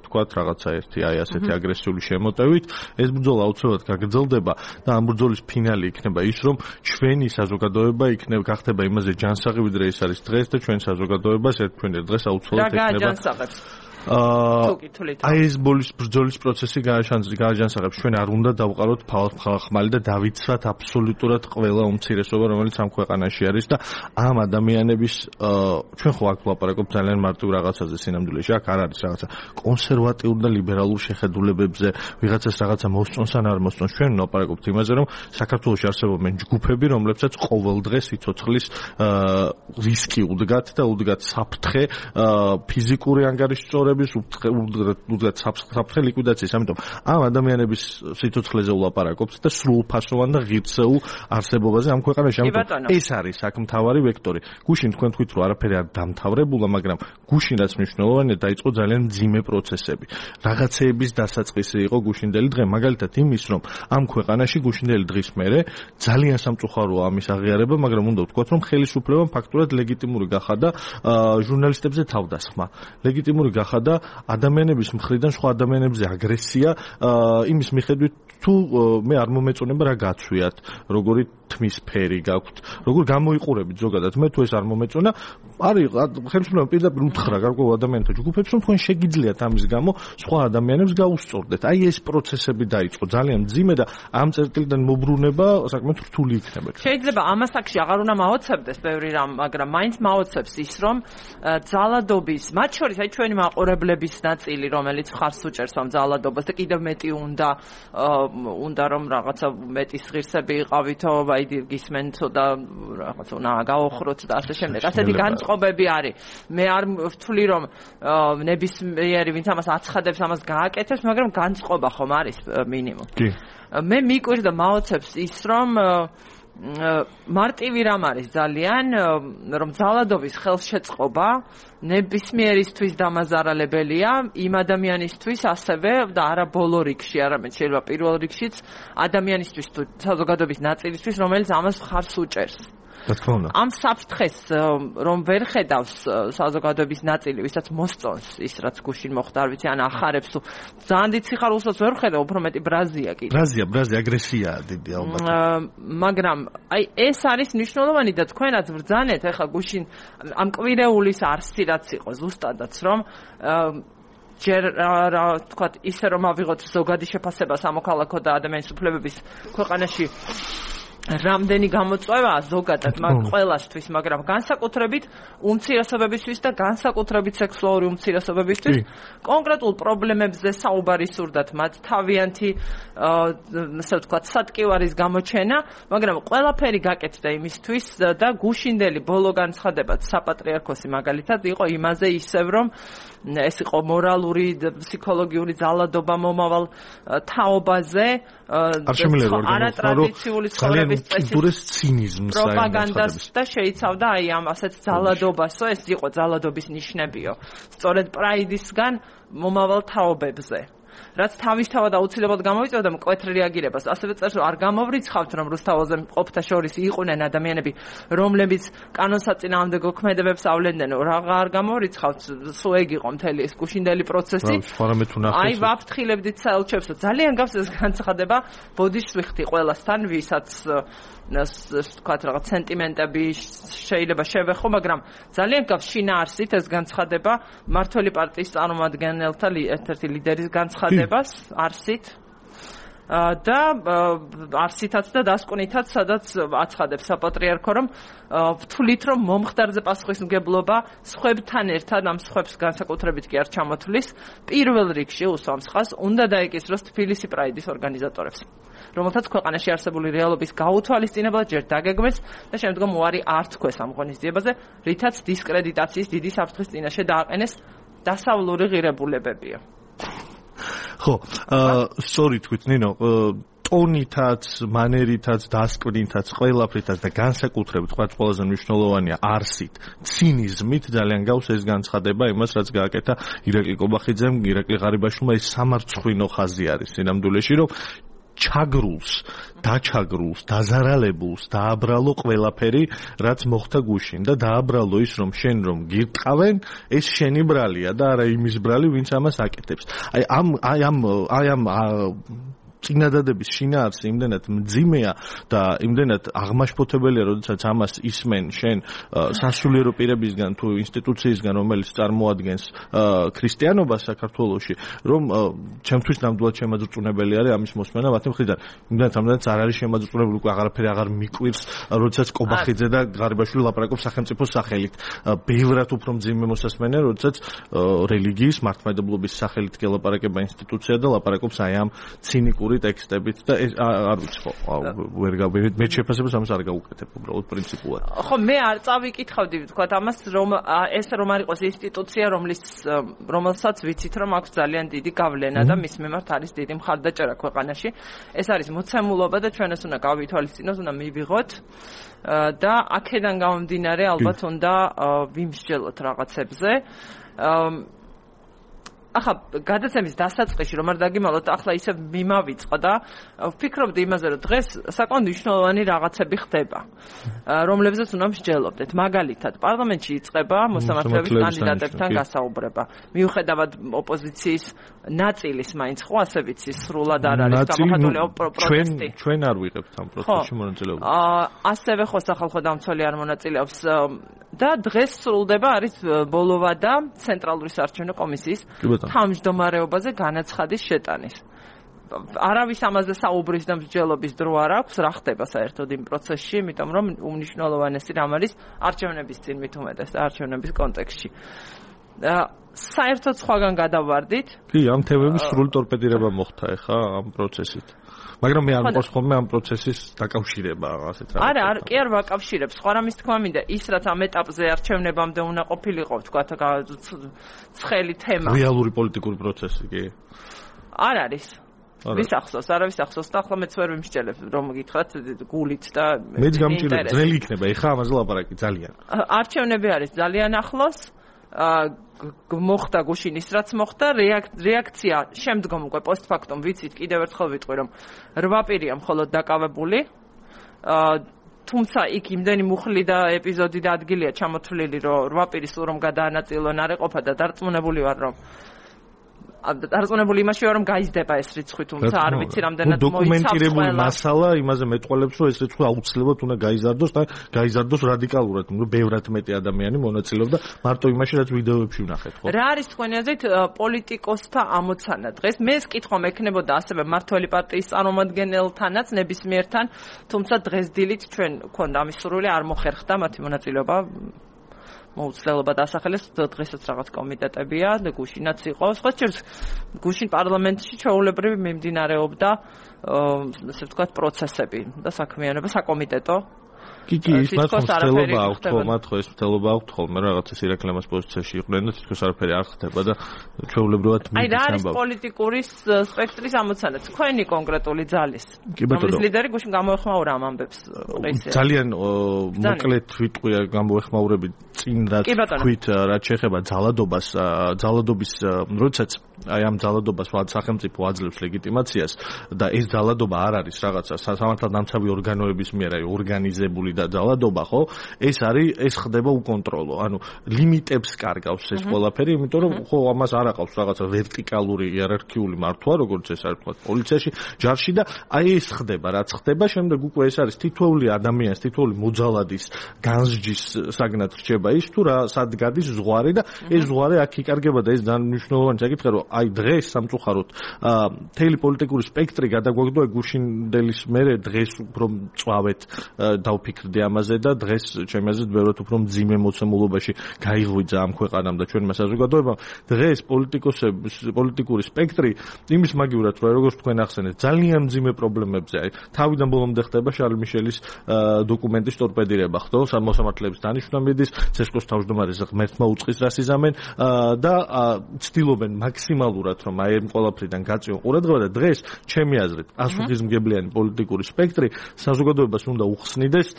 თქვათ რაღაცა ერთი აი ასეთი აგრესიული შემოტევით. ეს ბრძოლა აუცილებლად გაგრძელდება და ამ ბრძოლის ფინალი იქნება ის, რომ ჩვენი საზოგადოება იქნება გახდება იმაზე ჯანსაღი, ვიდრე ეს არის დღეს და ჩვენ საზოგადოებას ერთგვარ დღეს აუცილებლად იქნება. რა გააჯანსაღებს? აი ეს ბოლის ბრძოლის პროცესი გააჯანსაღებს. ჩვენ არ უნდა დავყაროთ ხმალი და დავიცვათ აბსოლუტურად ყველა უმცირესობა, რომელიც ამ ქვეყანაში არის და ამ ადამიანების ჩვენ ხო აქ ვლაპარაკობთ ძალიან მარტივ რაღაცაზე სინამდვილეში. აქ არ არის რაღაცა კონსერვატიულ და ლიბერალურ შეხედულებებზე, ვიღაცას რაღაცა მოსწონს ან არ მოსწონს. ჩვენ ვლაპარაკობთ იმაზე, რომ საქართველოში არსებობენ ჯგუფები, რომლებსაც ყოველ დღე სიცოცხლის რისკი უდგათ და უდგათ საფრთხე ფიზიკური ანგარიშწორების უდგათ საფრთხე ლიკვიდაციის. ამიტომ ამ ადამიანების სიცოცხლეზე ვლაპარაკობთ და სრულფასოვან და ღირსეულ არსებობაზე ამ ქვეყანაში. ამიტომ ეს არის აქ მთავარი ვექტორი. გუშინ თქვენ თქვით, რომ არაფერი არ დამთავრებულა, მაგრამ გუშინ რაც მნიშვნელოვანია, დაიწყო ძალიან მძიმე პროცესები. რაღაცეების დასაწყისი იყო გუშინდელი დღე, მაგალითად იმის, რომ ამ ქვეყანაში გუშინდელი დღის მერე ძალიან სამწუხაროა ამის აღიარება, მაგრამ უნდა ვთქვათ, რომ ხელისუფლებამ ფაქტურად ლეგიტიმური გახადა ჟურნალისტებზე თავდასხმა. ლეგიტიმური გახადა და ადამიანების მხრიდან სხვა ადამიანებზე აგრესია იმის მიხედვით თუ მე არ მომეწონება რა გაცვიათ, როგორი თმის ფერი გაქვთ, როგორ გამოიყურებით ზოგადად. მე თუ ეს არ მომეწონა, არის ხელმძღვანელობა პირდაპირ უთხრა გარკვეულ ადამიანთა ჯგუფებს, რომ თქვენ შეგიძლიათ ამის გამო სხვა ადამიანებს გაუსწორდეთ. აი ეს პროცესები დაიწყო ძალიან მძიმე და ამ წერტილიდან მოbrunება საკმაოდ რთული იქნება. შეიძლება ამას აქში აღარ უნდა მაოცებდეს ბევრი რამ, მაგრამ მაინც მაოცებს ის, რომ ძალადობის, მათ შორის აი ჩვენი მაყურებლების ნაწილი, რომელიც ხარს უჭერს ამ ძალადობას და კიდევ მეტი უნდა უნდა რომ რაღაცა მეტი ღირსები იყავითო, აი გისმენთო და რაღაცა უნდა გაოხროთ და ასე შემდეგ. ასეთი განწყობები არის. მე არ ვთვლი რომ ნებისმიერი ვინც ამას აცხადებს, ამას გააკეთებს, მაგრამ განწყობა ხომ არის მინიმუმ. კი. მე მიკვირდა მაოცებს ის რომ მარტივი რამ არის ძალიან რომ ძალადობის ხელშეწყობა ნებისმიერისთვის დამაზარალებელია იმ ადამიანისთვის ასევე და არა ბოლო რიგში, არამედ შეიძლება პირველ რიგშიც ადამიანისთვის თუ საზოგადოების ნაწილისთვის, რომელიც ამას ხარს უჭერს. ამ საფრთხეს რომ ვერ ხედავს საზოგადოების ნაწილი, ვისაც მოსწონს ის რაც გუშინ მოხდა, არ ვიცი, ან ახარებს თუ ძალიან დიდ სიხარულსაც ვერ ხედავ, უფრო მეტი ბრაზია კიდე. ბრაზია, ბრაზია, აგრესიაა დიდი ალბათ. მაგრამ აი ეს არის მნიშვნელოვანი და თქვენაც ბრძანეთ, ეხლა გუშინ ამ კვირეულის არსი რაც იყო ზუსტადაც, რომ ჯერ რა თქვათ, ისე რომ ავიღოთ ზოგადი შეფასება სამოქალაქო და ადამიანის უფლებების ქვეყანაში რამდენი გამოწვევაა ზოგადად მაგ ყველასთვის, მაგრამ განსაკუთრებით უმცირესობებისთვის და განსაკუთრებით სექსუალური უმცირესობებისთვის კონკრეტულ პრობლემებზე საუბარი სურდათ მათ თავიანთი ასე ვთქვათ სატკივარის გამოჩენა, მაგრამ ყველაფერი გაკეთდა იმისთვის და გუშინდელი ბოლო განცხადებაც საპატრიარქოსი მაგალითად იყო იმაზე ისევ რომ ეს იყო მორალური ფსიქოლოგიური ძალადობა მომავალ თაობაზე არატრადიციული ცხოვრების წესის პროპაგანდას და შეიცავდა აი ამ ასეთ ძალადობასო, ეს იყო ძალადობის ნიშნებიო სწორედ პრაიდისგან მომავალ თაობებზე, რაც თავისთავად აუცილებლად გამოვიწევდა მკვეთრ რეაგირებას. ასევე წერს რომ არ გამოვრიცხავთ რომ რუსთაველზე მყოფთა შორის იყვნენ ადამიანები რომლებიც კანონსაწინააღმდეგო ქმედებებს ავლენდნენ, რა არ გამოვრიცხავთ, სულ ეგ იყო მთელი ეს გუშინდელი პროცესი. აი ვაფრთხილებდით საელჩებს, ძალიან გავს ეს განცხადება ბოდიშსვიხთი ყველასთან, ვისაც თქვათ რაღაც სენტიმენტები შეიძლება შევეხო, მაგრამ ძალიან გავს შინაარსით ეს განცხადება მართველი პარტიის წარმომადგენელთა ერთ-ერთი ლიდერის განცხადებას არსით და არსითაც და დასკვნითაც, სადაც აცხადებს საპატრიარქო რომ ვთვლით რომ მომხდარზე პასუხისმგებლობა სხვებთან ერთად ამ სხვებს განსაკუთრებით კი არ ჩამოთვლის, პირველ რიგში უსვამს ხაზს უნდა დაეკისროს თბილისი პრაიდის ორგანიზატორებს, რომელთაც ქვეყანაში არსებული რეალობის გაუთვალისწინებლად ჯერ დაგეგმეს და შემდგომ უარი არ თქვეს ამ ღონისძიებაზე, რითაც დისკრედიტაციის დიდი საფრთხის წინაშე დააყენეს დასავლური ღირებულებებია. ხო, სწორი თქვით ნინო, ტონითაც, მანერითაც, დასკვნითაც, ყველაფრითაც და განსაკუთრებით თქვათ ყველაზე მნიშვნელოვანია არსით, ცინიზმით ძალიან გავს ეს განცხადება იმას, რაც გააკეთა ირაკლი კობახიძემ, ირაკლი ღარიბაშვილმა, ეს სამარცხვინო ხაზი არის სინამდვილეში, რომ ჩაგრულს, დაჩაგრულს, დაზარალებულს დააბრალო ყველაფერი, რაც მოხდა გუშინ და დააბრალო ის, რომ შენ რომ გირტყავენ, ეს შენი ბრალია და არა იმის ბრალი, ვინც ამას აკეთებს. აი ამ აი ამ აი ამ წინადადების შინაარსი იმდენად მძიმეა და იმდენად აღმაშფოთებელია, როდესაც ამას ისმენ შენ სასულიერო პირებისგან თუ ინსტიტუციისგან, რომელიც წარმოადგენს ქრისტიანობას საქართველოში, რომ ჩემთვის ნამდვილად შემაძრწუნებელი არის ამის მოსმენა მათი მხრიდან. იმდენად ამდენად არ არის შემაძრწუნებული, უკვე აღარაფერი აღარ მიკვირს, როდესაც კობახიძე და ღარიბაშვილი ლაპარაკობს სახელმწიფოს სახელით. ბევრად უფრო მძიმე მოსასმენია, როდესაც რელიგიის მართლმადიდებლობის სახელით გელაპარაკება ინსტიტუცია და ლაპარაკობს აი ამ ცინიკური ტექსტებით და არ ვიცი ხო ვერ გავიგეთ მე შეფასებას ამას არ გავუკეთებ უბრალოდ პრინციპულად. ხო მე არ წავიკითხავდი თქვა ამას რომ ეს რომ არ იყოს ინსტიტუცია რომლის რომელსაც ვიცით რომ აქვს ძალიან დიდი გავლენა და მის მიმართ არის დიდი მხარდაჭერა ქვეყანაში. ეს არის მოცემულობა და ჩვენს უნდა გავითვალისწინოთ, უნდა მივიღოთ და აქედან გამომდინარე ალბათ უნდა ვიმსჯელოთ რაღაცებზე. ახლა გადაცემის დასაწყისში რომ არ დაგიმალოთ, ახლა ისე მიმავიწყო და ვფიქრობდი იმაზე, რომ დღეს საკმაოდ მნიშვნელოვანი რაღაცები ხდება, რომლებზეც უნდა მსჯელობდეთ. მაგალითად, პარლამენტში იწყება მოსამართლეობის კანდიდატებთან გასაუბრება. მიუხედავად ოპოზიციის ნაწილის მაინც ხო ასე ვიცი, სრულად არ არის გამოხატული პროტესტი. ჩვენ არ ვიღებთ ამ პროცესში მონაწილეობას. აა ასევე ხო სახალხო დამცველი არ მონაწილეობს და დღეს სრულდება არის ბოლოვა და ცენტრალური საარჩევნო კომისიის თავმჯდომარეობაზე განაცხადის შეტანის. არავის ამაზე საუბრის და მსჯელობის დრო არ აქვს, რა ხდება საერთოდ იმ პროცესში, იმიტომ რომ უმნიშვნელოვანესი რამ არის არჩევნების წინ მით უმეტეს და არჩევნების კონტექსტში. საერთოდ სხვაგან გადავარდით. კი, ამ თემების სრული ტორპედირება მოხდა ახლა ამ პროცესით. მაგრამ მე არ მყავს ხოლმე ამ პროცესის დაკავშირება ასეთ რაღაცა. არა, არ კი არ ვაკავშირებს. სხვა რამის თქმა მინდა, ის რაც ამ ეტაპზე არჩევნებამდე უნდა ყოფილიყო, თქვა ცხელი თემა. რეალური პოლიტიკური პროცესი კი? არ არის. ვის ახსოვს, არავის ახსოვს და ახლა მეც ვერ ვიმსჯელებ, რომ გითხრათ გულით და მეც გამჭირდება, ძნელი იქნება, ეხლა ამაზე ლაპარაკი ძალიან. არჩევნები არის ძალიან ახლოს. მოხდა გუშინ ის რაც მოხდა, რეაქცია შემდგომ უკვე პოსტფაქტუმ ვიცით, კიდევ ერთხელ ვიტყვი, რომ რვა პირია მხოლოდ დაკავებული. თუმცა იქ იმდენი მუხლი და ეპიზოდი და ადგილია ჩამოთვლილი, რომ რვა პირი სულ რომ გადაანაწილონ არ ეყოფა და დარწმუნებული ვარ, რომ დარწმუნებული იმაში ვარ, რომ გაიზრდება ეს რიცხვი, თუმცა არ ვიცი რამდენად მოიცავს. დოკუმენტირებული მასალა იმაზე მეტყველებს, რომ ეს რიცხვი აუცილებლად უნდა გაიზარდოს და გაიზარდოს რადიკალურად, რომ ბევრად მეტი ადამიანი მონაწილეობდა მარტო იმაში, რაც ვიდეოებში ვნახეთ, ხო? რა არის თქვენი აზრით პოლიტიკოსთა ამოცანა დღეს? მე ეს კითხვა მექნებოდა ასევე მართველი პარტიის წარმომადგენელთანაც ნებისმიერთან, თუმცა დღეს დილით ჩვენ გვქონდა ამის სურვილი, არ მოხერხდა მათი მონაწილეობა. მოუცლელობა დასახელეს დღესაც რაღაც კომიტეტებია და გუშინაც იყო. სხვა შორის გუშინ პარლამენტში ჩვეულებრივი მიმდინარეობდა ასე ვთქვათ პროცესები და საქმიანობა საკომიტეტო. კი კი ის მათ მცდელობა აქვთ ხო მათ ხო ეს მცდელობა აქვთ ხოლმე რაღაცა სირეკლემას პოზიციაში იყვნენ და თითქოს არაფერი არ ხდება და ჩვეულებრივად აი რა არის პოლიტიკური სპექტრის ამოცანა თქვენი კონკრეტული ძალის რომლის ლიდერი გუშინ გამოეხმაურა ამ ამბებს ძალიან მოკლედ ვიტყვია გამოეხმაურები წინ რაც თქვით რაც შეეხება ძალადობას ძალადობის როდესაც აი ამ ძალადობას სახელმწიფო აძლევს ლეგიტიმაციას და ეს ძალადობა არ არის რაღაცა სამართალდამცავი ორგანოების მიერ აი ორგანიზებული და ძალადობა ხო ეს არის ეს ხდება უკონტროლო ანუ ლიმიტებს კარგავს ეს ყველაფერი იმიტომ რომ ხო ამას არ აყავს რაღაცა ვერტიკალური იერარქიული მართვა როგორც ეს არის თქვა პოლიციაში ჯარში და აი ეს ხდება რაც ხდება შემდეგ უკვე ეს არის თითოეული ადამიანის თითოეული მოძალადის განსჯის საგნად რჩება ის თუ რა სად გადის ზღვარი და ეს ზღვარი აქ იკარგება და ეს ძალიან მნიშვნელოვანი საკითხია რომ აი დღეს სამწუხაროდ მთელი პოლიტიკური სპექტრი გადაგვაგდო გუშინდელის მერე დღეს უფრო მწვავეთ დავფიქრდი ამაზე და დღეს ჩემი აზრით ბევრად უფრო მძიმე მოცემულობაში გაიღვიძა ამ ქვეყანამ და ჩვენმა საზოგადოებამ დღეს პოლიტიკოსების პოლიტიკური სპექტრი იმის მაგივრად რომ როგორც თქვენ ახსენეთ ძალიან მძიმე პრობლემებზე აი თავიდან ბოლომდე ხდება შარლ მიშელის დოკუმენტის ტორპედირება ხო მოსამართლეების დანიშვნა მიდის ცესკოს თავმჯდომარის ღმერთმა უწყის რას იზამენ და ცდილობენ მაქსიმალურად რომ აი ამ ყველაფრიდან გაწიონ ყურადღება და დღეს ჩემი აზრით პასუხისმგებლიანი პოლიტიკური სპექტრი საზოგადოებას უნდა უხსნიდეს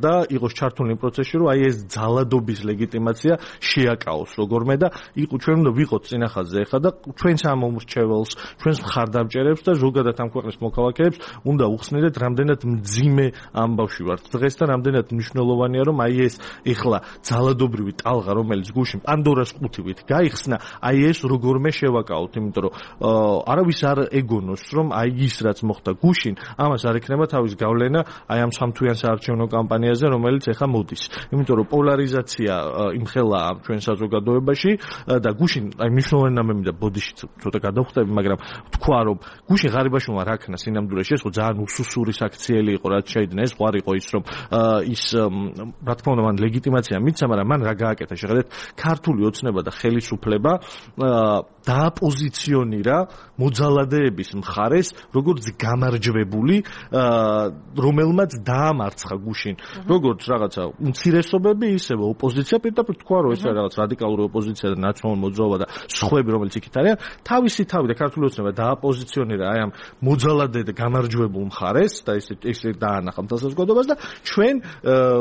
და იყოს ჩართული პროცესში რომ აი ეს ძალადობის ლეგიტიმაცია შეაკავოს როგორმე და იყო ჩვენ უნდა ვიყოთ წინახაზზე ახლა და ჩვენს ამ მომრჩეველს ჩვენს მხარდამჭერებს და ზოგადად ამ ქვეყნის მოქალაქეებს უნდა უხსნიდეთ რამდენად მძიმე ამბავში ვართ დღეს და რამდენად მნიშვნელოვანია რომ აი ეს ახლა ძალადობრივი ტალღა რომელიც გუშინ პანდორას ყუთივით გაიხსნა აი ეს როგორმე შევაკავოთ იმიტომ რომ არავის არ ეგონოს რომ აი ის რაც მოხდა გუშინ ამას არ ექნება თავის გავლენა აი ამ სამთვიან საარჩევნო კამპანიაზე რომელიც ახლა მოდის იმიტომ რომ პოლარიზაცია იმხელა ჩვენ საზოგადოებაში და გუშინ აი მნიშვნელოვანი ნამემი და ბოდიში ცოტა გადავხტები მაგრამ თქვა რომ გუშინ ღარიბაშვილმა რა ქნა სინამდვილეში ეს ხო ძალიან უსუსური საქციელი იყო რაც შეიძლება ეს ყარ იყო ის რომ ის რა თქმა უნდა მან ლეგიტიმაცია მიცა მაგრამ მან რა გააკეთა შეხედეთ ქართული ოცნება და ხელისუფლება დააპოზიციონირა მოძალადეების მხარეს როგორც გამარჯვებული რომელმაც დაამარცხა გუშინ როგორც რაღაცა უმცირესობები ისევე ოპოზიცია პირდაპირ თქვა რომ ეს რაღაც რადიკალური ოპოზიცია და ნაციონალური მოძრაობა და სხვები რომელიც იქით არიან თავისი თავი და ქართული ოცნება დააპოზიციონირა აი ამ მოძალადე და გამარჯვებულ მხარეს და ეს ეს დაანახა საზოგადოებას და ჩვენ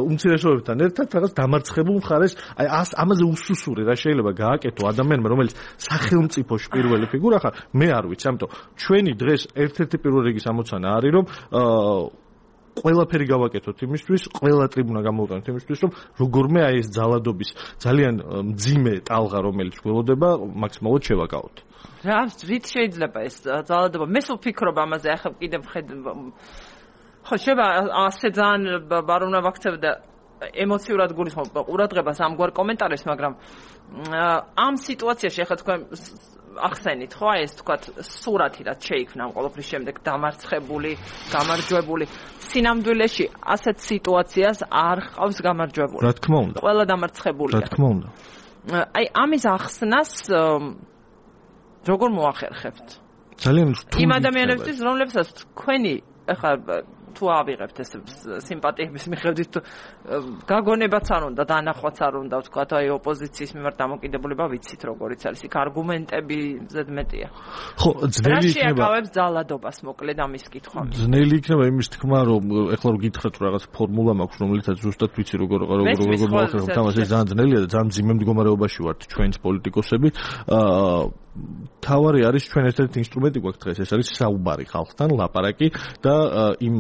უმცირესობებთან ერთად რაღაც დამარცხებულ მხარეს აი ამაზე უსუსური რა შეიძლება გააკეთო ადამიანმა რომელიც სახელმწიფო სახელმწიფოში პირველი ფიგურა ხარ, მე არ ვიცი, ამიტომ ჩვენი დღეს ერთ-ერთი პირველ რიგის ამოცანა არის, რომ ყველაფერი გავაკეთოთ იმისთვის, ყველა ტრიბუნა გამოვიტანოთ იმისთვის, რომ როგორმე აი ეს ძალადობის ძალიან მძიმე ტალღა, რომელიც გველოდება, მაქსიმალურად შევაკავოთ. რა, რით შეიძლება ეს ძალადობა? მე სულ ვფიქრობ ამაზე, ახლა კიდევ ხედ ხო შეიძლება ასე ძალიან არ უნდა ვაქცევდა ემოციურად გულისხმობ ყურადღებას ამგვარ კომენტარებს, მაგრამ ამ სიტუაციაში ახლა თქვენ ახსენით ხო აი ეს თქვათ სურათი რაც შეიქმნა ამ ყოველფრის შემდეგ დამარცხებული, გამარჯვებული. სინამდვილეში ასეთ სიტუაციას არ ხავს გამარჯვებული. რა თქმა უნდა. ყველა დამარცხებულია. რა თქმა უნდა. აი ამის ახსნას როგორ მოახერხებთ? ძალიან რთული. იმ ადამიანებისთვის, რომლებსაც თქვენი ახლა თუ ავიღებთ ეს სიმპათიების მიხედვით გაგონებაც არ უნდა, დანახვაც არ უნდა, ვთქვათ, აი ოპოზიციის მიმართ დამოკიდებულება ვიცით როგორიც არის, იქ არგუმენტები ზედმეტია. ხო, ძნელი იქნება. რა შეაკავებს ძალადობას, მოკლედ ამის კითხვა. ძნელი იქნება იმის თქმა, რომ ეხლა რომ გითხრათ რომ რაღაც ფორმულა მაქვს, რომელიცაც ზუსტად ვიცი როგორ როგორ როგორ მოახერხებთ ამას, ეს ძალიან ძნელია და ძალიან მძიმე მდგომარეობაში ვართ ჩვენს პოლიტიკოსები. აა თავარი არის ჩვენ ერთ-ერთი ინსტრუმენტი გვაქვს დღეს, ეს არის საუბარი ხალხთან, ლაპარაკი და იმ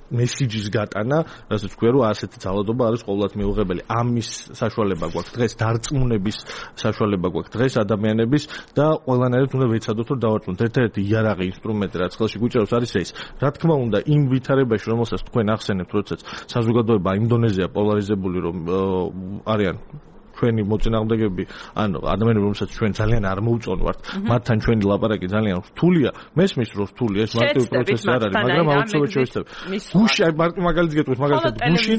მესიჯის გატანა, რასაც ქვია რომ ასეთი ძალადობა არის ყოველდღიურად მიუღებელი. ამის საშუალება გვაქვს დღეს, დარწმუნების საშუალება გვაქვს დღეს ადამიანების და ყველანაირად უნდა ვეცადოთ რომ დავარწმუნოთ. ერთ-ერთი იარაღი ინსტრუმენტი რაც ხელში გვიჭირავს არის ეს. რა თქმა უნდა, იმ ვითარებაში, რომელსაც თქვენ ახსენებთ, როდესაც საზოგადოება იმ დონეზეა პოლარიზებული, რომ არიან ჩვენი მოწინააღმდეგეები, ანუ ადამიანები, რომელსაც ჩვენ ძალიან არ მოუწონვართ, მათთან ჩვენი ლაპარაკი ძალიან რთულია. მესმის რომ რთულია, ეს მარტივი პროცესი არ არის, მაგრამ აუცილებლად შევეცდები. გუში, აი მაგალითად გეტყვით, მაგალითად გუშინ,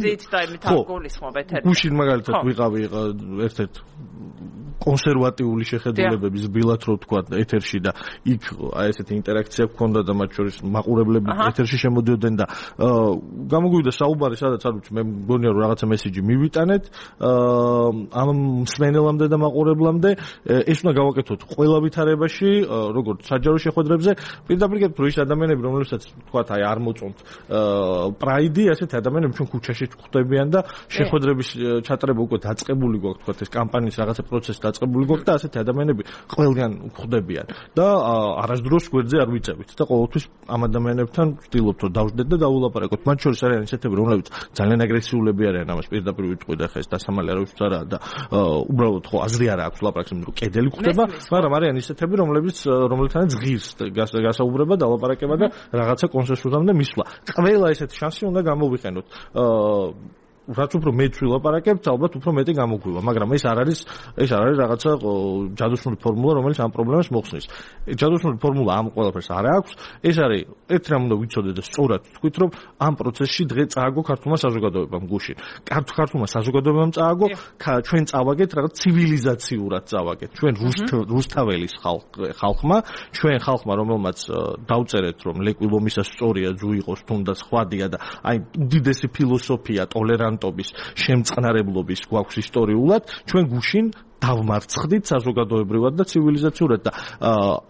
ხო, გუშინ მაგალითად ვიყავი ერთ-ერთ კონსერვატიული შეხედულებების ბილად რო თქვა ეთერში და იქ აი ესეთი ინტერაქცია გქონდა და მათ შორის მაყურებლები ეთერში შემოდიოდნენ და გამოგვივიდა საუბარი, სადაც არ ვიცი, მე მგონია რომ რაღაცა მესიჯი მივიტანეთ ამ მსმენელამდე და მაყურებლამდე, ეს უნდა გავაკეთოთ ყველა ვითარებაში, როგორც საჯარო შეხვედრებზე, პირდაპირ გეტყვი ის ადამიანები, რომლებსაც თქვა აი არ მოწონთ პრაიდი, ასეთ ადამიანები ჩვენ ქუჩაში გვხვდებიან და შეხვედრების ჩატარება უკვე დაწყებული გვაქვს, თქვა ეს კამპანიის რაღაცა პროცესი დაწყებული გვაქვს და ასეთი ადამიანები ყველგან გვხვდებიან და არასდროს გვერდზე არ ვიწევით და ყოველთვის ამ ადამიანებთან ვცდილობთ რომ დავждეთ და დაულაპარაკოთ. მათ შორის არიან ისეთები, რომლებიც ძალიან აგრესიულები არიან, ამას პირდაპირ ვიტყვი და ხა ეს დასამალი არავისთვის არა და უბრალოდ ხო აზრი არ აქვს ლაპარაკს, რომ კედელი გვხვდება, მაგრამ არიან ისეთები, რომლებიც რომლებთანაც ღირს გასაუბრება, დალაპარაკება და რაღაცა კონსენსუსამდე მისვლა. ყველა ესეთი შანსი უნდა გამოვიყენოთ. რაც უფრო მეც ვილაპარაკებთ, ალბათ უფრო მეტი გამოგვივა, მაგრამ ეს არ არის ეს არ არის რაღაცა ჯადოსნური ფორმულა, რომელიც ამ პრობლემას მოხსნის. ჯადოსნური ფორმულა ამ ყველაფერს არ აქვს. ეს არის ერთ რამ უნდა ვიცოდეთ და სწორად თქვით, რომ ამ პროცესში დღე წააგო ქართულმა საზოგადოებამ გუშინ. ქართულმა საზოგადოებამ წააგო, ჩვენ წავაგეთ რაღაც ცივილიზაციურად წავაგეთ. ჩვენ რუსთაველის ხალხმა, ჩვენ ხალხმა, რომელმაც დავწერეთ, რომ ლეკვილომისა სწორია, ძუ იყოს თუნდაც ხვადია და აი უდიდესი ფილოსოფია, ტოლერანტ შემწყნარებლობის გვაქვს ისტორიულად, ჩვენ გუშინ დავმარცხდით საზოგადოებრივად და ცივილიზაციურად და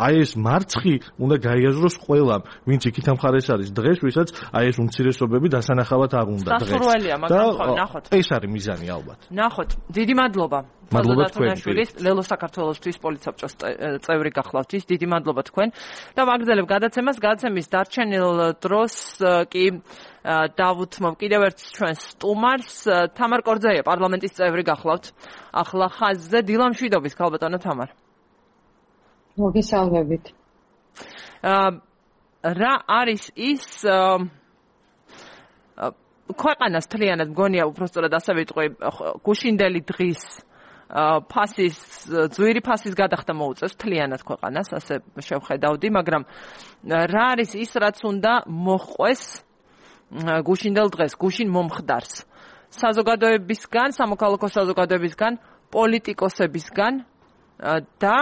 აი ეს მარცხი უნდა გაიაზროს ყველამ, ვინც იქით ამხარეს არის დღეს, ვისაც აი ეს უმცირესობები დასანახავად არ უნდა დღეს. სასურველია, მაგრამ ხო, ნახოთ. ეს არის მიზანი ალბათ. ნახოთ, დიდი მადლობა. მადლობა თქვენ. ლელო საქართველოსთვის პოლიცსაბჭოს წევრი გახლავთ ის, დიდი მადლობა თქვენ. და ვაგრძელებ გადაცემას, გადაცემის დარჩენილ დროს კი დავუთმობ კიდევ ერთ ჩვენს სტუმარს, თამარ კორძეია, პარლამენტის წევრი გახლავთ. ახლა ხაზზე დილა მშვიდობის, ქალბატონო თამარ. მოგესალმებით. რა არის ის ქვეყანას მთლიანად მგონია უბრალოდ ასე ვიტყვი, გუშინდელი დღის ფასის, ძვირი ფასის გადახდა მოუწევს მთლიანად ქვეყანას, ასე შევხედავდი, მაგრამ რა არის ის, რაც უნდა მოჰყვეს გუშინდელ დღეს, გუშინ მომხდარს საზოგადოებისგან, სამოქალაქო საზოგადოებისგან, პოლიტიკოსებისგან და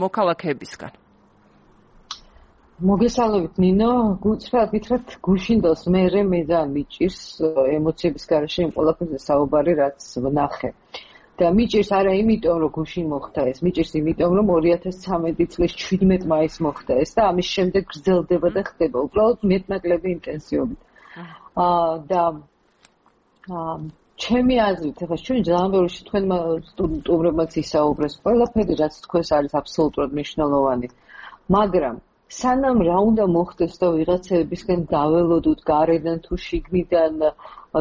მოქალაქეებისგან. მოგესალმებით ნინო, გუცხრად გითხრათ გუშინდელს მე მე ძალიან მიჭირს ემოციების გარეშე იმ ყველაფერზე საუბარი, რაც ვნახე. და მიჭირს არა იმიტომ, რომ გუშინ მოხდა ეს, მიჭირს იმიტომ, რომ ორი ათას ცამეტი წლის შვიდმეტი მაისს მოხდა ეს და ამის შემდეგ გრძელდება და ხდება უბრალოდ მეტნაკლები ინტენსივობით. აა და ჩემი აზრით, ახლა ჩვენ ძალიან ბევრი თქვენმა სტუდენტურებმაც ისაუბრეს, ყველაფერი რაც თქვენს არის აბსოლუტურად მნიშვნელოვანი. მაგრამ სანამ რა უნდა მოხდეს და ვიღაცებისგან დაველოდოთ გარედან თუ შიგნიდან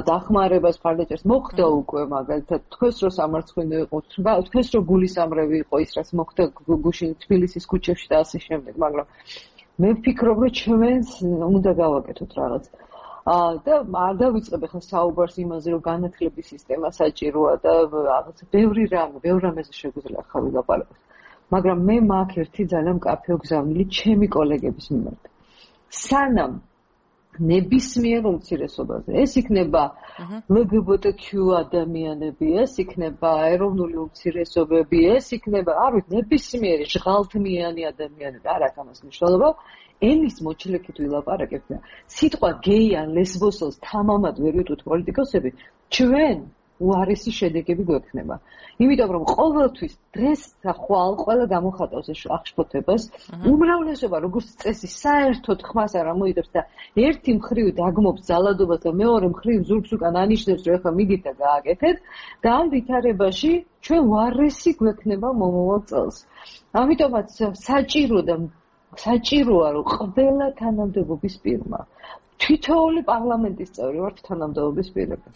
დახმარებას მხარდაჭერას მოხდა უკვე მაგალითად თქვენს რო სამარცხვინო იყო თქვენს რო გულისამრევი იყო ის რაც მოხდა გუშინ თბილისის ქუჩებში და ასე შემდეგ მაგრამ მე ვფიქრობ რომ ჩვენს უნდა გავაკეთოთ რაღაც და არ დავიწყებ ახლა საუბარს იმაზე რომ განათლების სისტემა საჭიროა და რაღაც ბევრი რამე ბევრ რამეზე შეგვიძლია ახლა ვილაპარაკოთ მაგრამ მე მაქვს ერთი ძალიან მკაფიო გზავნილი ჩემი კოლეგების მიმართ. სანამ ნებისმიერ უმცირესობაზე, ეს იქნება L G B T Q ადამიანები, ეს იქნება ეროვნული უმცირესობები, ეს იქნება, არ ვიცი, ნებისმიერი ჟღალთმიანი ადამიანები, არ აქვს ამას მნიშვნელობა. ენის მოჩლექით ვილაპარაკებთ და სიტყვა გეი ან ლესბოსელს თამამად ვერ ვიტყვით პოლიტიკოსები, ჩვენ უარესი შედეგები გვექნება. იმიტომ რომ ყოველთვის დღეს და ხვალ ყველა გამოხატავს ეს აღშფოთებას, უმრავლესობა როგორც წესი საერთოდ ხმას არ ამოიღებს და ერთი მხრივ დაგმობს ძალადობას და მეორე მხრივ ზურგს უკან ანიშნებს რომ ეხლა მიდით და გააკეთეთ და ამ ვითარებაში ჩვენ უარესი გვექნება მომავალ წელს. ამიტომაც საჭირო და საჭიროა რომ ყველა თანამდებობის პირმა თითოეული პარლამენტის წევრი ვართ თანამდებობის პირები.